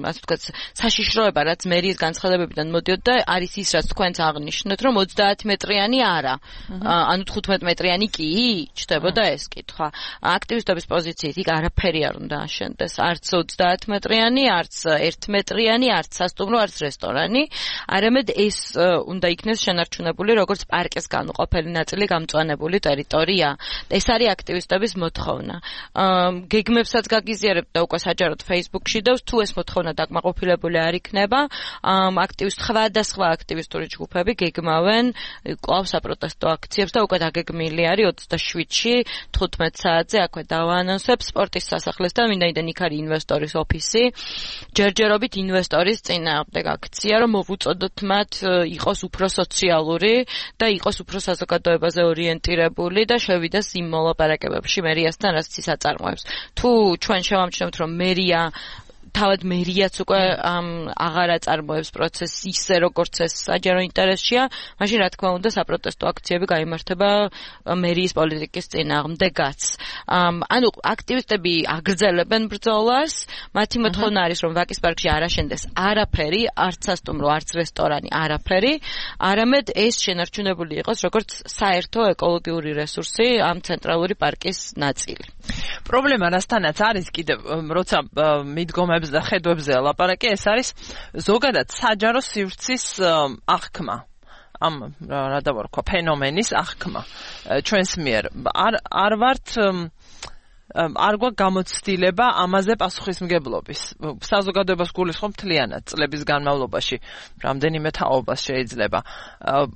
ასე ვთქვათ, საშიშროება, რაც მერიის განცხადებებიდან მოდიოდა, არის ის, რაც თქვენც აღნიშნეთ, რომ ოცდაათი მეტრიანი არა. ანუ თხუთმეტი მეტრიანი კი ჩდებოდა ეს კითხვა. აქტივისტების პოზიციით იქ არაფერი არ უნდა აშენდეს. არც ოცდაათი მეტრიანი, არც ერთი მეტრიანი, არც სასტუმრო, არც რესტორანი. არამედ ეს უნდა იქნეს შენარჩუნებული, როგორც პარკის განუყოფელი ნაწილი გამწვანებული ტერიტორია. ეს არის აქტივისტების მოთხოვნა. გეგმებსაც გაგიზიარებთ და უკვე საჯაროდ Facebook-ში და თუ ეს მოთხოვნა დაკმაყოფილებული არ იქნება, აქტივისტ სხვადასხვა აქტივისტური ჯგუფები გეგმავენ კვლავ საპროტესტო აქციებს და უკვე დაგეგმილი არის ოცდაშვიდში თხუთმეტ საათზე აქვე დავაანონსებ სპორტის სასახლესთან, ვინაიდან იქ არის ინვესტორის ოფისი. ჯერჯერობით ინვესტორის წინააღმდეგ აქცია, რომ მოვუწოდოთ მათ იყოს უფრო სოციალური და იყოს უფრო საზოგადოებაზე ორიენტირებული და შევიდეს იმ მოლაპარაკებებში მერიასთან, რაც ის აწარმოებს. თუ ჩვენ შევამჩნევთ, რომ მერია თავად მერიაც უკვე აღარ აწარმოებს პროცესს ისე, როგორც ეს საჯარო ინტერესშია, მაშინ რა თქმა უნდა საპროტესტო აქციები გაიმართება მერიის პოლიტიკის წინააღმდეგაც. ანუ აქტივისტები აგრძელებენ ბრძოლას, მათი მოთხოვნა არის, რომ ვაკის პარკში არ აშენდეს არაფერი, არც სასტუმრო, არც რესტორანი, არაფერი, არამედ ეს შენარჩუნებული იყოს როგორც საერთო ეკოლოგიური რესურსი ამ ცენტრალური პარკის ნაწილი. პრობლემა რასთანაც არის კიდევ, როცა მიდგომებს და ხედვებზე ლაპარაკი, ეს არის ზოგადად საჯარო სივრცის აღქმა. ამ რა დავარქვა ფენომენის აღქმა ჩვენს მიერ. არ არ ვართ არ გვაქვს გამოცდილება ამაზე პასუხისმგებლობის. საზოგადოებას გულისხმობ მთლიანად წლების განმავლობაში, რამდენიმე თაობას შეიძლება.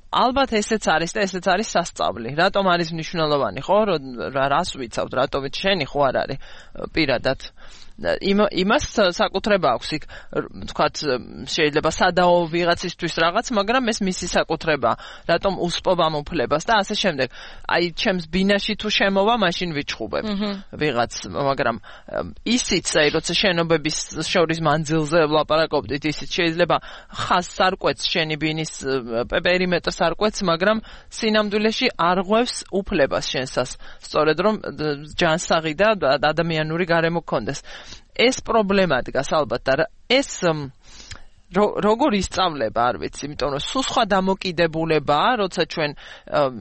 ალბათ ესეც არის და ესეც არის სასწავლი. რატომ არის მნიშვნელოვანი, ხო? რას ვიცავთ, რატომით შენი ხო არ არის პირადად იმას საკუთრება აქვს იქ, თქვათ, შეიძლება სადაო ვიღაცისთვის რაღაც, მაგრამ ეს მისი საკუთრება, რატომ უსპობ ამ უფლებას და ასე შემდეგ. აი, ჩემს ბინაში თუ შემოვა, მაშინ ვიჩხუბებ ვიღაც, მაგრამ ისიც, აი, როცა შენობების შორის მანძილზე ვლაპარაკობდით, ისიც შეიძლება ხას სარკვეთს შენი ბინის პერიმეტრ სარკვეთს, მაგრამ სინამდვილეში არღვევს უფლებას შენსას, სწორედ რომ ჯანსაღი და ადამიანური გარემო გქონდეს. ეს პრობლემა დგას ალბათ და ეს როგორ ისწავლება, არ ვიცი, იმიტომ რომ სულ სხვა დამოკიდებულებაა, როცა ჩვენ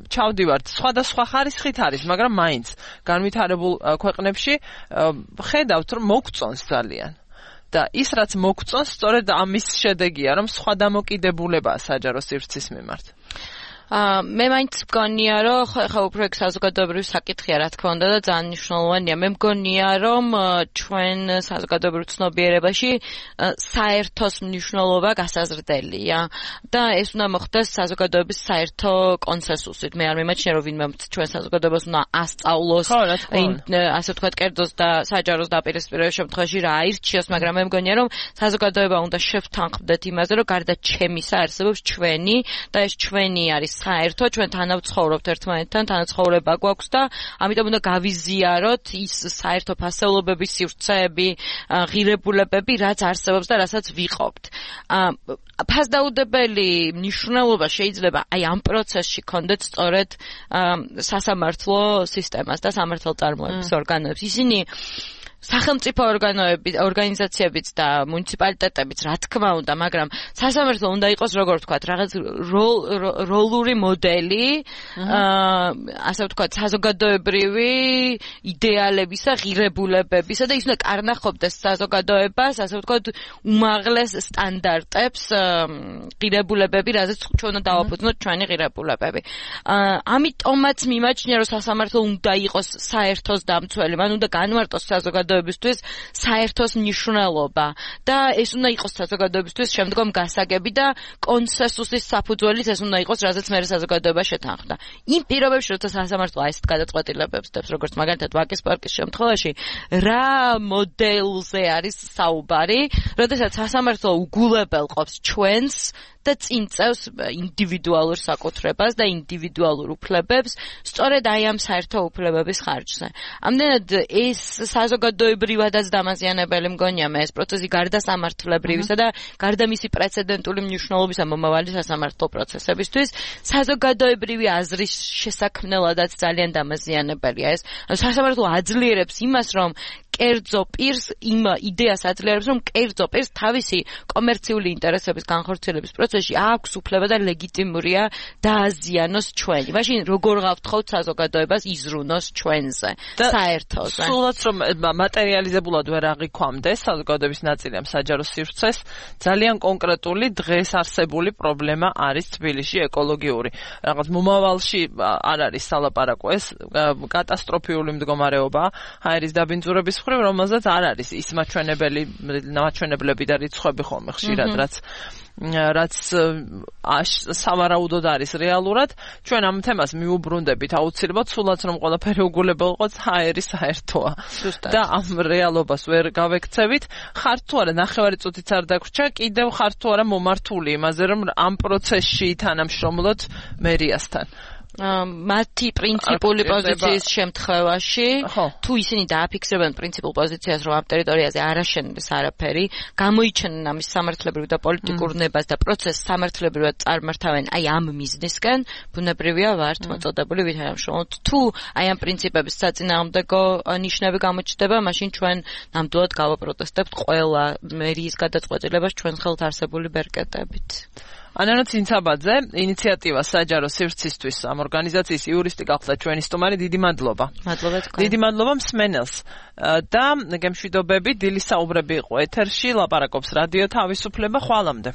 ჩავდივართ, სხვადასხვა ხარისხით არის, მაგრამ მაინც განვითარებულ ქვეყნებში ხედავთ, რომ მოგწონს ძალიან. და ის რაც მოგწონს, სწორედ ამის შედეგია, რომ სხვა დამოკიდებულებაა საჯარო სივრცის მიმართ. მე მაინც მგონია, რომ ხა უფრო ეგ საზოგადოებრივი საკითხია, რა თქმა უნდა და ძალიან მნიშვნელოვანია. მე მგონია, რომ ჩვენ საზოგადოებრივ ცნობიერებაში საერთოს მნიშვნელობა გასაზრდელია და ეს უნდა მოხდეს საზოგადოების საერთო კონსენსუსით. მე არ მიმაჩნია, რომ ვინმე ჩვენ საზოგადოებას უნდა ასწავლოს, ასე ვთქვათ, კერძოს და საჯაროს დაპირისპირების შემთხვევაში რა აირჩიოს, მაგრამ მე მგონია, რომ საზოგადოება უნდა შევთანხმდეთ იმაზე, რომ გარდა ჩემისა არსებობს ჩვენი და ეს ჩვენი არის საერთო, ჩვენ თანავ ცხოვრობთ ერთმანეთთან, თანაცხოვრება გვაქვს და ამიტომ უნდა გავიზიაროთ ის საერთო ფასეულობების სივრცეები, ღირებულებები, რაც არსებობს და რასაც ვიყობთ. ფასდაუდებელი მნიშვნელობა შეიძლება აი ამ პროცესში კონდეთ სწორედ სასამართლო სისტემას და სამართალწარმოების ორგანოებს. ისინი სახელმწიფო ორგანოები, ორგანიზაციებიც და მუნიციპალიტეტებიც, რა თქმა უნდა, მაგრამ სასამართლო უნდა იყოს, როგორ ვთქვათ, რაღაც როლური მოდელი, ასე ვთქვათ, საზოგადოებრივი იდეალებისა, ღირებულებებისა და ის უნდა კარნახობდეს საზოგადოებას, ასე ვთქვათ, უმაღლეს სტანდარტებს, ღირებულებები, რაზეც ჩვენ უნდა დავაფუძნოთ ჩვენი ღირებულებები. ამიტომაც მიმაჩნია, რომ სასამართლო უნდა იყოს საერთოს დამცველი, მან უნდა განმარტოს საზოგადოება საზოგადოებისთვის საერთოს მნიშვნელობა და ეს უნდა იყოს საზოგადოებისთვის შემდგომ გასაგები და კონსენსუსის საფუძველით ეს უნდა იყოს, რაზეც მე საზოგადოება შეთანხმდა. იმ პირობებში, როცა სასამართლო ასეთ გადაწყვეტილებებს დებს, როგორც მაგალითად ვაკის პარკის შემთხვევაში, რა მოდელზე არის საუბარი, როდესაც სასამართლო უგულებელყოფს ჩვენს და წინ წევს ინდივიდუალურ საკუთრებას და ინდივიდუალურ უფლებებს, სწორედ აი ამ საერთო უფლებების ხარჯზე. ამდენად ეს საზოგადოებრივადაც დამაზიანებელი მგონია მე ეს პროცესი გარდა სამართლებრივისა და გარდა მისი პრეცედენტული მნიშვნელობისა მომავალი სასამართლო პროცესებისთვის, საზოგადოებრივი აზრის შესაქმნელადაც ძალიან დამაზიანებელია ეს. სასამართლო აძლიერებს იმას, რომ კერძო პირს იმ იდეას აძლიერებს, რომ კერძო პირს თავისი კომერციული ინტერესების განხორციელების პროცესში აქვს უფლება და ლეგიტიმურია დააზიანოს ჩვენი. მაშინ როგორ გავთხოვთ საზოგადოებას იზრუნოს ჩვენზე, საერთოზე. სულაც რომ მატერიალიზებულად ვერ აღიქვამდეს საზოგადოების ნაწილი ამ საჯარო სივრცეს, ძალიან კონკრეტული დღეს არსებული პრობლემა არის თბილისში ეკოლოგიური. რაღაც მომავალში არ არის სალაპარაკო, ეს კატასტროფიული მდგომარეობა ჰაერის დაბინძურების მხრივ, რომელზეც არ არის ის მაჩვენებელი მაჩვენებლები და რიცხვები ხოლმე ხშირად, რაც რაც სავარაუდოდ არის რეალურად. ჩვენ ამ თემას მიუბრუნდებით აუცილებლად, სულაც რომ ყველაფერი უგულებელყოს ჰაერი საერთოა და ამ რეალობას ვერ გავექცევით. ხართ თუ არა ნახევარი წუთიც არ დაგვრჩა, კიდევ ხართ თუ არა მომართული იმაზე, რომ ამ პროცესში თანამშრომლოთ მერიასთან. მათი პრინციპული პოზიციის შემთხვევაში, თუ ისინი დააფიქსირებენ პრინციპულ პოზიციას, რომ ამ ტერიტორიაზე არ აშენდეს არაფერი, გამოიჩენენ ამის სამართლებრივ და პოლიტიკურ ნებას და პროცესს სამართლებრივად წარმართავენ აი ამ მიზნისკენ, ბუნებრივია ვართ მოწოდებული ვითანამშრომლოთ. თუ აი ამ პრინციპების საწინააღმდეგო ნიშნები გამოჩნდება, მაშინ ჩვენ ნამდვილად გავაპროტესტებთ ყველა მერიის გადაწყვეტილებას ჩვენ ხელთ არსებული ბერკეტებით. ანანა ცინცაბაძე, ინიციატივა საჯარო სივრცისთვის ამ ორგანიზაციის იურისტი გახდა ჩვენი სტუმარი. დიდი მადლობა. მადლობა თქვენ. დიდი მადლობა მსმენელს. და გემშვიდობები, დილის საუბრები იყო ეთერში, ლაპარაკობს რადიო თავისუფლება. ხვალამდე.